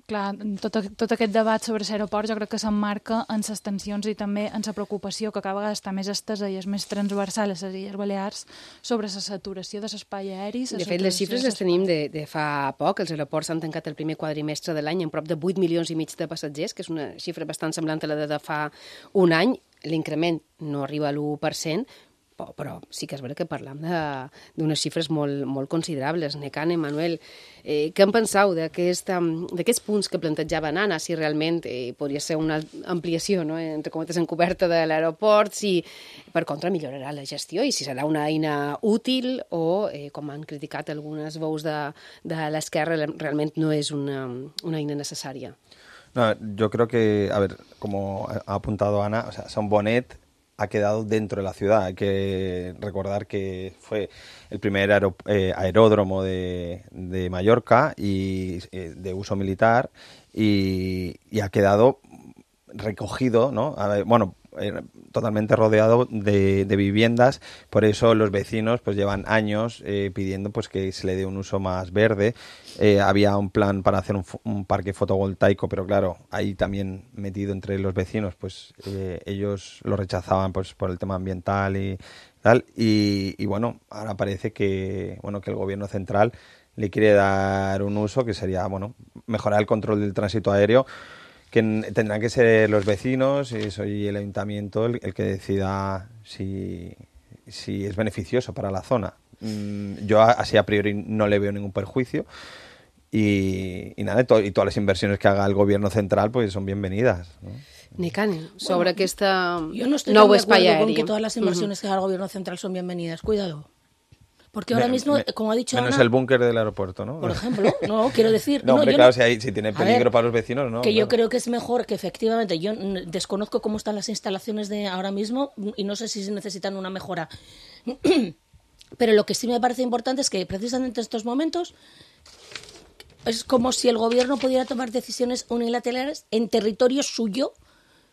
clar, tot aquest debat sobre l'aeroport jo crec que s'emmarca en les tensions i també en la preocupació que cada vegada està més estesa i és més transversal a les Illes Balears sobre la saturació de l'espai aeri. De fet, les xifres les tenim de fa poc. Els aeroports han tancat el primer quadrimestre de l'any amb prop de 8 milions i mig de passatgers, que és una xifra bastant semblant a la de fa un any. L'increment no arriba a l'1%, però sí que és veritat que parlam d'unes xifres molt considerables. Necane, Manuel, què en penseu d'aquests punts que plantejava Anna, si realment podria ser una ampliació, no?, entre cometes encoberta de l'aeroport, si per contra millorarà la gestió i si serà una eina útil o, com han criticat algunes veus de l'esquerra, realment no és una eina necessària? No, yo creo que, a ver, como ha apuntado Ana, o sea, Son Bonet ha quedado dentro de la ciudad. Hay que recordar que fue el primer aeródromo de Mallorca y de uso militar y ha quedado recogido, ¿no? Bueno, totalmente rodeado de viviendas, por eso los vecinos pues llevan años pidiendo pues que se le dé un uso más verde. Había un plan para hacer un parque fotovoltaico, pero claro, ahí también metido entre los vecinos, pues ellos lo rechazaban pues por el tema ambiental y tal, y bueno, ahora parece que el gobierno central le quiere dar un uso que sería, bueno, mejorar el control del tránsito aéreo, que tendrán que ser los vecinos y soy el ayuntamiento el que decida si es beneficioso para la zona. Yo así a priori no le veo ningún perjuicio y nada, y todas las inversiones que haga el gobierno central pues son bienvenidas, ¿no? Nicani, sobre aquesta Yo no estoy nou tan de espai acuerdo con aeri. que todas las inversiones que haga el gobierno central son bienvenidas. Cuidado. Porque ahora mismo, como ha dicho Menos Ana, el búnker del aeropuerto, ¿no? por ejemplo, no, quiero decir... No, hombre, yo claro, no- si tiene A peligro ver, para los vecinos, ¿no? que yo Claro. creo que es mejor que efectivamente, yo desconozco cómo están las instalaciones de ahora mismo y no sé si necesitan una mejora. Pero lo que sí me parece importante es que precisamente en estos momentos es como si el gobierno pudiera tomar decisiones unilaterales en territorio suyo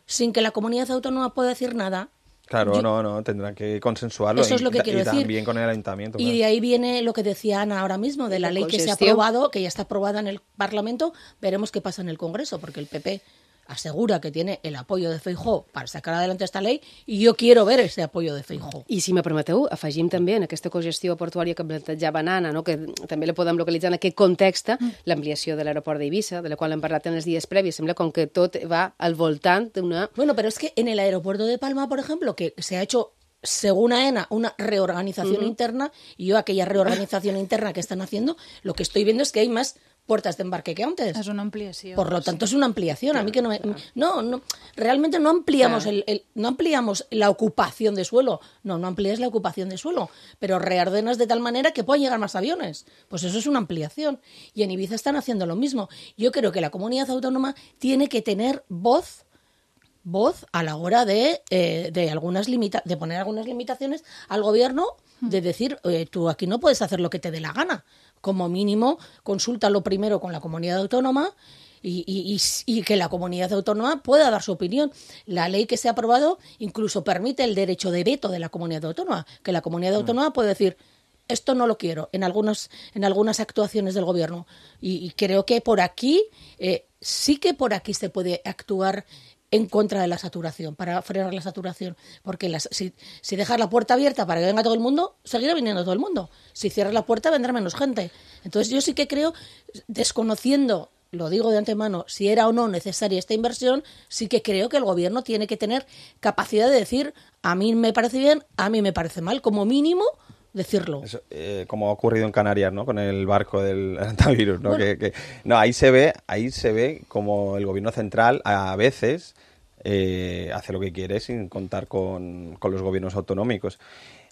sin que la comunidad autónoma pueda decir nada. Claro, Yo- no, tendrán que consensuarlo. Eso es lo que quiero y decir. también con el ayuntamiento. Y claro. de ahí viene lo que decía Ana ahora mismo, de la La ley que se ha cogestión. aprobado, que ya está aprobada en el Parlamento. Veremos qué pasa en el Congreso, porque el PP asegura que tiene el apoyo de Feijóo para sacar adelante esta ley y yo quiero ver ese apoyo de Feijóo. I si me permeteu, afegim també en aquesta cogestió portuària que plantejava Nana, no? Que també la podem localitzar en aquest context, l'ampliació de l'aeroport d'Eivissa, de la qual hem parlat en els dies previs. Sembla com que tot va al voltant d'una... Bueno, pero es que en el aeropuerto de Palma, por ejemplo, que se ha hecho, según AENA, una reorganización interna, y yo aquella reorganización interna que están haciendo, lo que estoy viendo es que hay más puertas de embarque que antes. És una ampliació. Por lo tanto, es una ampliación. A mí que no me... No, realmente no ampliamos, no ampliamos la ocupación de suelo. No amplías la ocupación de suelo, pero reordenas de tal manera que puedan llegar más aviones. Pues eso es una ampliación. Y en Ibiza están haciendo lo mismo. Yo creo que la comunidad autónoma tiene que tener voz a la hora de poner algunas limitaciones al gobierno, de decir, tú aquí no puedes hacer lo que te dé la gana. Como mínimo, consúltalo primero con la comunidad autónoma y que la comunidad autónoma pueda dar su opinión. La ley que se ha aprobado incluso permite el derecho de veto de la comunidad autónoma, que la comunidad autónoma puede decir, esto no lo quiero, en algunas actuaciones del gobierno. Y creo que por aquí, sí que por aquí se puede actuar en contra de la saturación, para frenar la saturación. Porque si dejas la puerta abierta para que venga todo el mundo, seguirá viniendo todo el mundo. Si cierras la puerta, vendrá menos gente. Entonces yo sí que creo, desconociendo, lo digo de antemano, si era o no necesaria esta inversión, sí que creo que el gobierno tiene que tener capacidad de decir, a mí me parece bien, a mí me parece mal, como mínimo decirlo. Eso, como ha ocurrido en Canarias, ¿no? Con el barco del antivirus, ¿no? Bueno. No, ahí se ve como el gobierno central a veces hace lo que quiere sin contar con los gobiernos autonómicos.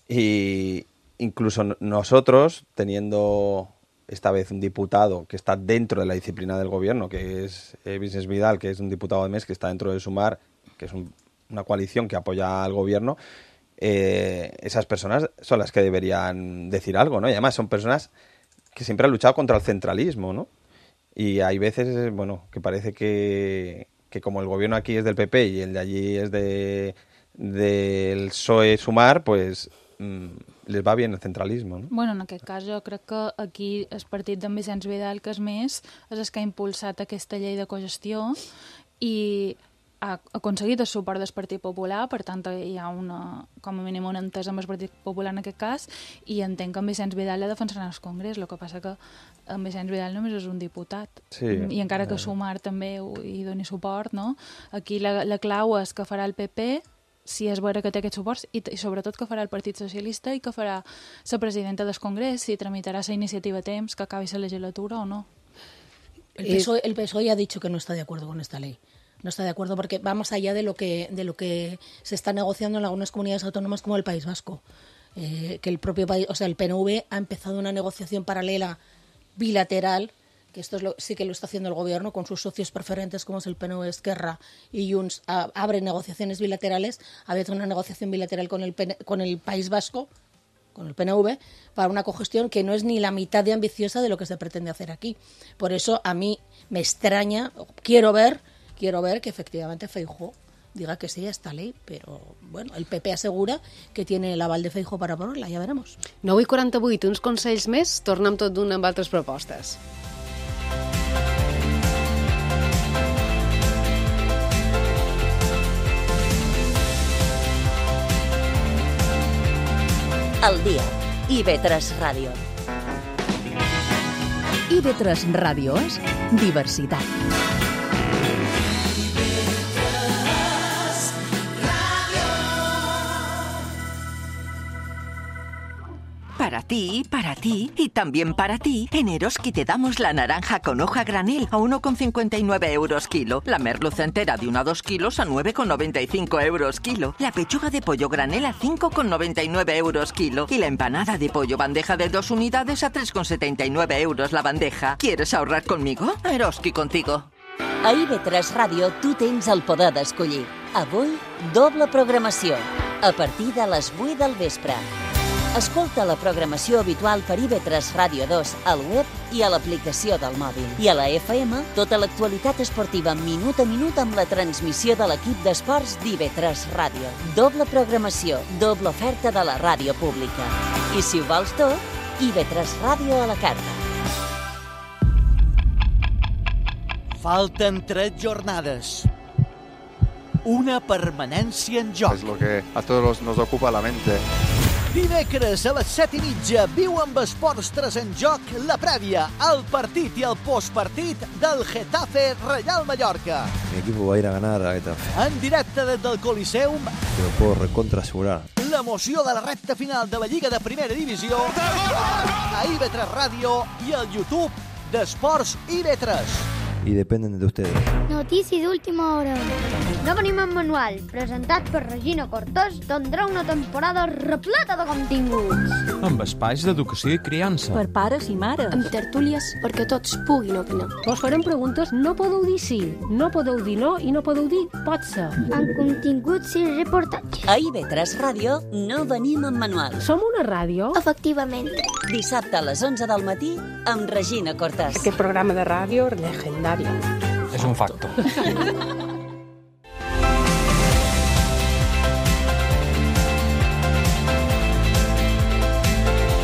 Y incluso nosotros, teniendo esta vez un diputado que está dentro de la disciplina del gobierno, que es Vicens Vidal, que es un diputado de MES, que está dentro de Sumar, que es una coalición que apoya al gobierno, esas personas son las que deberían decir algo, ¿no? Y además son personas que siempre han luchado contra el centralismo, ¿no? Y hay veces, bueno, que parece que como el gobierno aquí es del PP y el de allí es del PSOE Sumar, pues les va bien el centralismo, no? Bueno, en aquest cas jo crec que aquí el partit d'en Vicenç Vidal, que és més, és el que ha impulsat aquesta llei de cogestió i ha aconseguit el suport del Partit Popular, per tant hi ha com a mínim una entesa amb el Partit Popular en aquest cas, i entenc que en Vicenç Vidal la defensarà al Congrés, el que passa que en Vicenç Vidal només és un diputat, Sí, i encara que Sumar també hi doni suport, no? Aquí la clau és que farà el PP, si és vera que té aquests suports, i sobretot que farà el Partit Socialista i que farà la presidenta del Congrés, si tramitarà la iniciativa a temps, que acabi la legislatura o no. El PSOE ya ha dicho que no está de acuerdo con esta ley. No está de acuerdo porque va más allá de lo que se está negociando en algunas comunidades autónomas como el País Vasco. Que el propio país, o sea, el PNV ha empezado una negociación paralela bilateral, que esto sí que lo está haciendo el gobierno con sus socios preferentes como es el PNV, Esquerra y Junts, abre negociaciones bilaterales. Ha habido una negociación bilateral con el País Vasco, con el PNV, para una cogestión que no es ni la mitad de ambiciosa de lo que se pretende hacer aquí. Por eso a mí me extraña, quiero ver que efectivamente Feijóo diga que sí a esta ley, pero bueno, el PP asegura que tiene el aval de Feijóo para aprobarla, ya veremos. 9:48, uns consells més, tornem tot d'una amb altres propostes. El dia. IB3 Ràdio. IB3 Ràdio és diversitat. Para ti y también para ti, en Eroski te damos la naranja con hoja granel a 1,59 euros kilo, la merluza entera de 1 a 2 kilos a 9,95 euros kilo, la pechuga de pollo granel a 5,99 euros kilo y la empanada de pollo bandeja de 2 unidades a 3,79 euros la bandeja. ¿Quieres ahorrar conmigo? Eroski contigo. A IB3 Ràdio tu tens el poder d'escollir. Avui, doble programació, a partir de les 8 del vespre. Escolta la programació habitual per IB3 Ràdio 2 al web i a l'aplicació del mòbil. I a la FM, tota l'actualitat esportiva minut a minut amb la transmissió de l'equip d'esports d'IB3 Ràdio. Doble programació, doble oferta de la ràdio pública. I si ho vols tot, IB3 Ràdio a la carta. Falten 3 jornades. Una permanència en joc. Es lo que a todos nos ocupa la mente. Dimecres a les 7:30 viu amb Esports 3 en joc la prèvia, el partit i el postpartit del Getafe Real Mallorca. Mi equipo va a ir a ganar a Getafe. En directe des del Coliseum, Te lo puedo recontra asegurar. l'emoció de la recta final de la Lliga de Primera Divisió a IB3 Ràdio i al YouTube d'Esports IB3. Y dependen de ustedes. Notícia d'última hora. No venim en manual, presentat per Regina Cortós, tindrà una temporada repleta de continguts. Amb espais d'educació i criança. Per pares i mares. Amb tertúlies perquè tots puguin opinar. Us farem preguntes, no podeu dir sí, no podeu dir no i no podeu dir pot ser. Amb continguts i reportatges. A IB3 Ràdio no venim en manual. Som una ràdio? Efectivament. Dissabte a les 11 del matí amb Regina Cortès. Aquest programa de ràdio legendari. És un facto.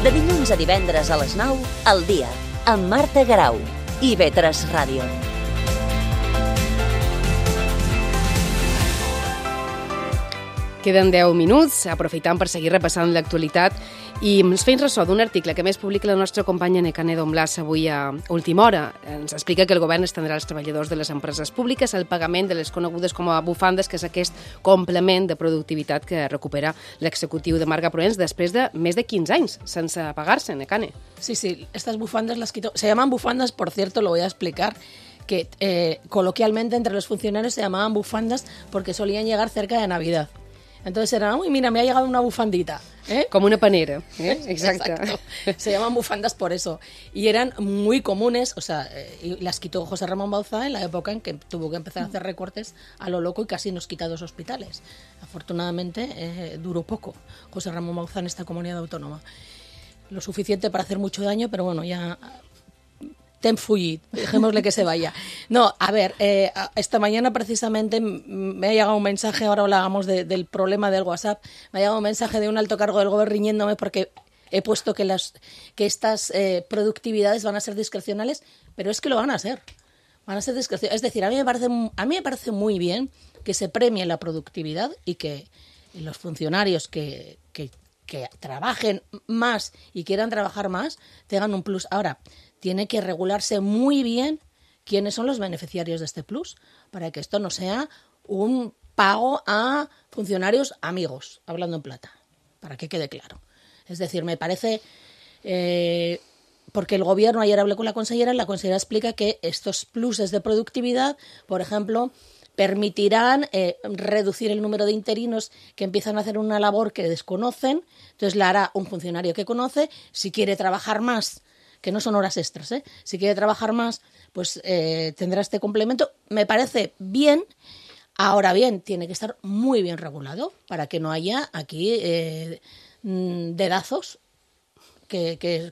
De dilluns a divendres a les 9, al dia, amb Marta Garau. IB3 Ràdio. Queden 10 minuts, aprofitant per seguir repassant l'actualitat i ens fem ressò d'un article que més publica la nostra companya Nekane Donblas avui a última hora. Ens explica que el govern estendrà als treballadors de les empreses públiques el pagament de les conegudes com a bufandes, que és aquest complement de productivitat que recupera l'executiu de Marga Proens després de més de 15 anys sense pagar-se, Nekane. Sí, estas bufandas las quitó. Se llaman bufandas, por cierto, lo voy a explicar, que coloquialmente entre los funcionarios se llamaban bufandas porque solían llegar cerca de Navidad. Entonces era, uy, mira, me ha llegado una bufandita. Como una panera. Exacto. Se llaman bufandas por eso. Y eran muy comunes, o sea, y las quitó José Ramón Bauzá en la época en que tuvo que empezar a hacer recortes a lo loco y casi nos quita 2 hospitales. Afortunadamente duró poco José Ramón Bauzá en esta comunidad autónoma. Lo suficiente para hacer mucho daño, pero bueno, ya... Ten fugit, dejémosle que se vaya. No, a ver, esta mañana precisamente me ha llegado un mensaje, ahora hablábamos del problema del WhatsApp, me ha llegado un mensaje de un alto cargo del gobierno riñéndome porque he puesto que estas productividades van a ser discrecionales, pero es que lo van a ser. Van a ser discrecionales. Es decir, a mí me parece muy bien que se premie la productividad y que los funcionarios que trabajen más y quieran trabajar más tengan un plus. Ahora, tiene que regularse muy bien quiénes son los beneficiarios de este plus, para que esto no sea un pago a funcionarios amigos, hablando en plata, para que quede claro. Es decir, me parece... porque el gobierno, ayer hablé con la consellera explica que estos pluses de productividad, por ejemplo, permitirán reducir el número de interinos que empiezan a hacer una labor que desconocen, entonces la hará un funcionario que conoce, si quiere trabajar más, que no son horas extras, si quiere trabajar más, pues tendrá este complemento. Me parece bien. Ahora bien, tiene que estar muy bien regulado para que no haya aquí dedazos, que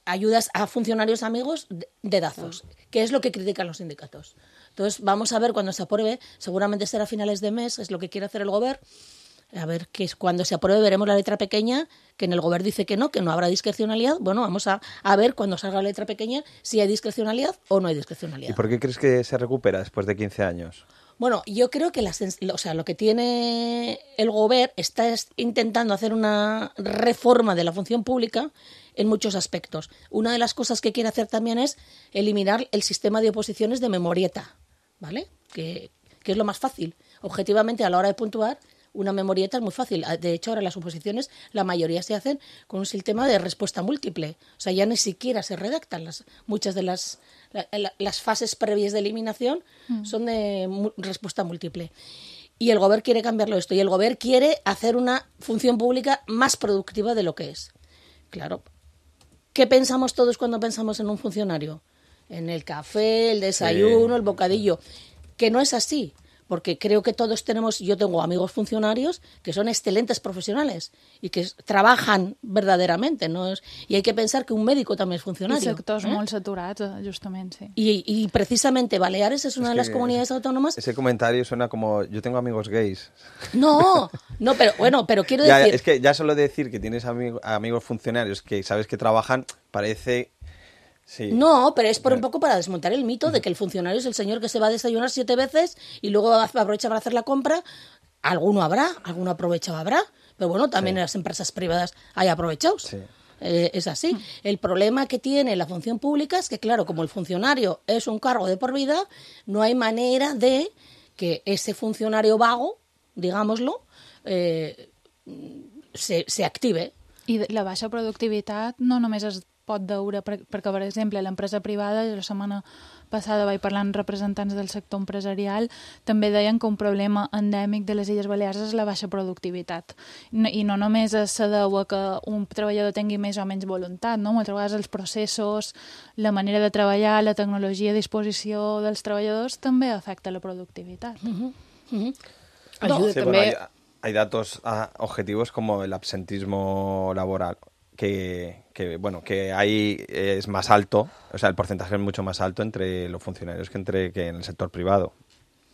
ayudas a funcionarios amigos dedazos, que es lo que critican los sindicatos. Entonces, vamos a ver cuando se apruebe, seguramente será a finales de mes, es lo que quiere hacer el gobierno. A ver, que cuando se apruebe veremos la letra pequeña, que en el gobierno dice que no habrá discrecionalidad. Bueno, vamos a ver cuando salga la letra pequeña si hay discrecionalidad o no hay discrecionalidad. ¿Y por qué crees que se recupera después de 15 años? Bueno, yo creo que lo que tiene el gobierno está intentando hacer una reforma de la función pública en muchos aspectos. Una de las cosas que quiere hacer también es eliminar el sistema de oposiciones de memorieta, ¿vale? Que es lo más fácil. Objetivamente, a la hora de puntuar, una memorieta es muy fácil. De hecho, ahora las oposiciones, la mayoría se hacen con un sistema de respuesta múltiple. O sea, ya ni siquiera se redactan. Muchas de las fases previas de eliminación son de respuesta múltiple. Y el Gobierno quiere cambiarlo esto. Y el Gobierno quiere hacer una función pública más productiva de lo que es. Claro. ¿Qué pensamos todos cuando pensamos en un funcionario? En el café, el desayuno, el bocadillo. Que no es así. Porque creo que todos yo tengo amigos funcionarios que son excelentes profesionales y que trabajan verdaderamente, ¿no? Y hay que pensar que un médico también es funcionario. I sectors molt saturats, justament, sí. Y precisamente Baleares es una de las comunidades autónomas... Ese comentario suena como, yo tengo amigos gays. No, pero quiero decir... Es que ya solo decir que tienes amigos funcionarios que sabes que trabajan, parece... Sí. No, pero es por un poco para desmontar el mito de que el funcionario es el señor que se va a desayunar 7 veces y luego aprovecha para hacer la compra. Alguno aprovechado habrá, pero bueno, también en las empresas privadas hay aprovechados. Sí. Es así. El problema que tiene la función pública es que, claro, como el funcionario es un cargo de por vida, no hay manera de que ese funcionario vago, digámoslo, se active. I la baixa productivitat no només es pot veure, perquè, per exemple, l'empresa privada, la setmana passada vaig parlar amb representants del sector empresarial, també deien que un problema endèmic de les Illes Balears és la baixa productivitat. I no només se deu a que un treballador tingui més o menys voluntat, no? Moltes vegades els processos, la manera de treballar, la tecnologia a disposició dels treballadors també afecta la productivitat. Ayuda también. Hay datos objetivos como el absentismo laboral, que ahí es más alto, o sea, el porcentaje es mucho más alto entre los funcionarios que en el sector privado,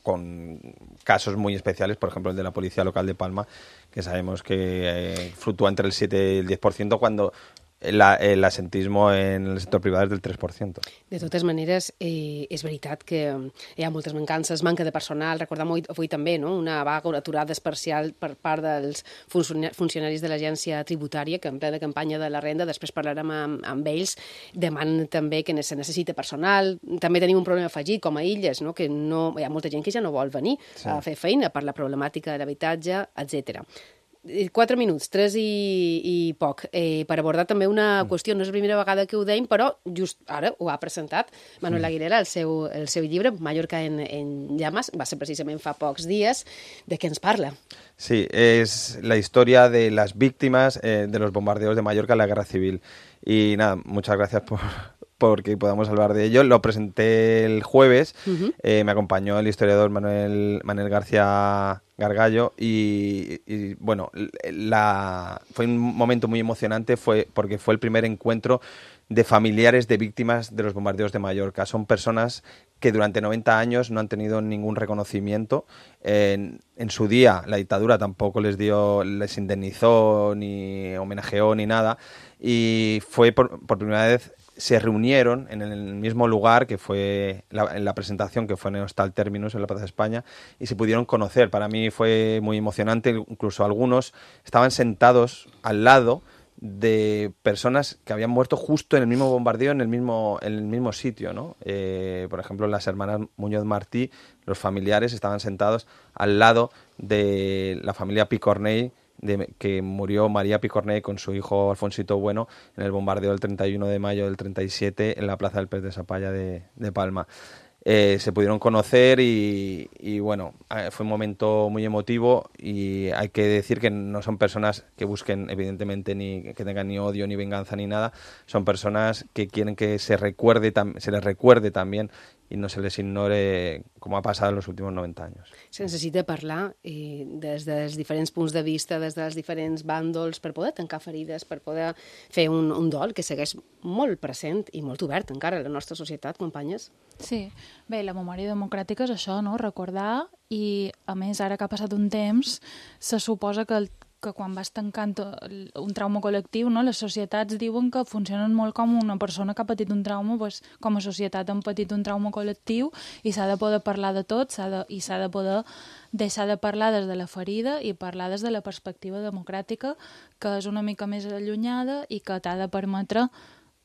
con casos muy especiales, por ejemplo, el de la Policía Local de Palma, que sabemos que fluctúa entre el 7 y el 10%, cuando el absentismo en el sector privado és del 3%. De totes maneres, és veritat que hi ha moltes mancances, manca de personal. Recordem avui també, no? Una vaga, una aturada parcial per part dels funcionaris de l'agència tributària, que en plena campanya de la renda, després parlarem amb ells, demanen també que se necessita personal. També tenim un problema afegit, com a Illes, no? Que no, hi ha molta gent que ja no vol venir a fer feina per la problemàtica de l'habitatge, etc. 4 minuts, 3 i poc, per abordar també una qüestió. No és la primera vegada que ho deim, però just ara ho ha presentat Manuel Aguilera, el seu llibre, Mallorca en llamas, va ser precisament fa pocs dies. De què ens parla? Sí, es la historia de las víctimas de los bombardeos de Mallorca en la Guerra Civil. Y nada, muchas gracias porque podamos hablar de ello. Lo presenté el jueves, me acompañó el historiador Manuel García Gargallo y bueno, fue un momento muy emocionante porque fue el primer encuentro de familiares de víctimas de los bombardeos de Mallorca. Son personas que durante 90 años no han tenido ningún reconocimiento. En su día la dictadura tampoco les indemnizó, ni homenajeó, ni nada. Y fue por primera vez se reunieron en el mismo lugar que fue en la presentación, que fue en el Hostal Terminus, en la Plaza de España, y se pudieron conocer. Para mí fue muy emocionante. Incluso algunos estaban sentados al lado de personas que habían muerto justo en el mismo bombardeo, en el mismo sitio, ¿no? Por ejemplo, las hermanas Muñoz Martí, los familiares estaban sentados al lado de la familia Picornell, que murió María Picornell con su hijo Alfonsito Bueno en el bombardeo del 31 de mayo del 37 en la Plaza del Pez de Sapalla de Palma. Se pudieron conocer y bueno, fue un momento muy emotivo, y hay que decir que no son personas que busquen evidentemente ni que tengan ni odio ni venganza ni nada. Son personas que quieren que se les recuerde también i no se les ignore com ha passat en els últims 90 anys. Se necessita parlar des dels diferents punts de vista, des dels diferents bàndols, per poder tancar ferides, per poder fer un dol que segueix molt present i molt obert encara a la nostra societat, companyes. Sí, bé, la memòria democràtica és això, no? Recordar, i a més ara que ha passat un temps se suposa que quan vas tancant un trauma col·lectiu, no? Les societats diuen que funcionen molt com una persona que ha patit un trauma, doncs, com a societat han patit un trauma col·lectiu, i s'ha de poder parlar de tot, i s'ha de poder deixar de parlar des de la ferida i parlar des de la perspectiva democràtica, que és una mica més allunyada i que t'ha de permetre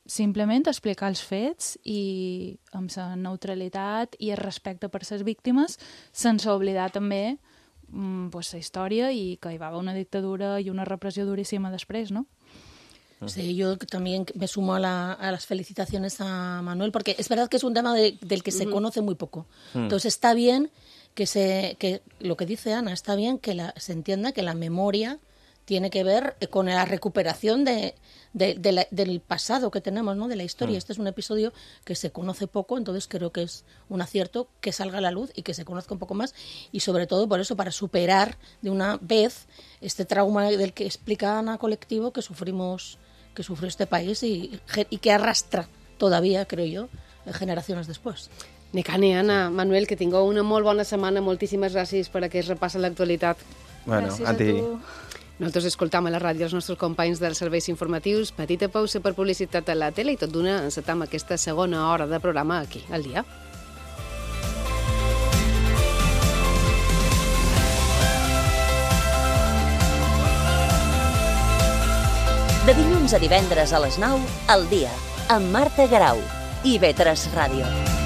simplement explicar els fets i amb la neutralitat i el respecte per les víctimes, sense oblidar també la història i que hi va haver una dictadura i una repressió duríssima després, no? Sí, yo también me sumo a las felicitaciones a Manuel, porque es verdad que es un tema del que se conoce muy poco. Entonces está bien que lo que dice Ana, está bien que se entienda que la memoria tiene que ver con la recuperación del pasado que tenemos, ¿no? De la historia. Este es un episodio que se conoce poco, entonces creo que es un acierto que salga a la luz y que se conozca un poco más, y sobre todo por eso, para superar de una vez este trauma del que explica Ana colectivo que sufrió este país y que arrastra todavía, creo yo, generaciones después. Nicani, Anna, Manuel, que tingueu una molt bona setmana. Moltíssimes gràcies per aquest repàs a l'actualitat. Bueno, Gràcies a ti. Nosaltres escoltam a la ràdio els nostres companys dels serveis informatius. Petita pausa per publicitat a la tele i tot d'una encetam aquesta segona hora de programa aquí, al dia. De dilluns a divendres a les 9, al dia, amb Marta Garau i IB3 Ràdio.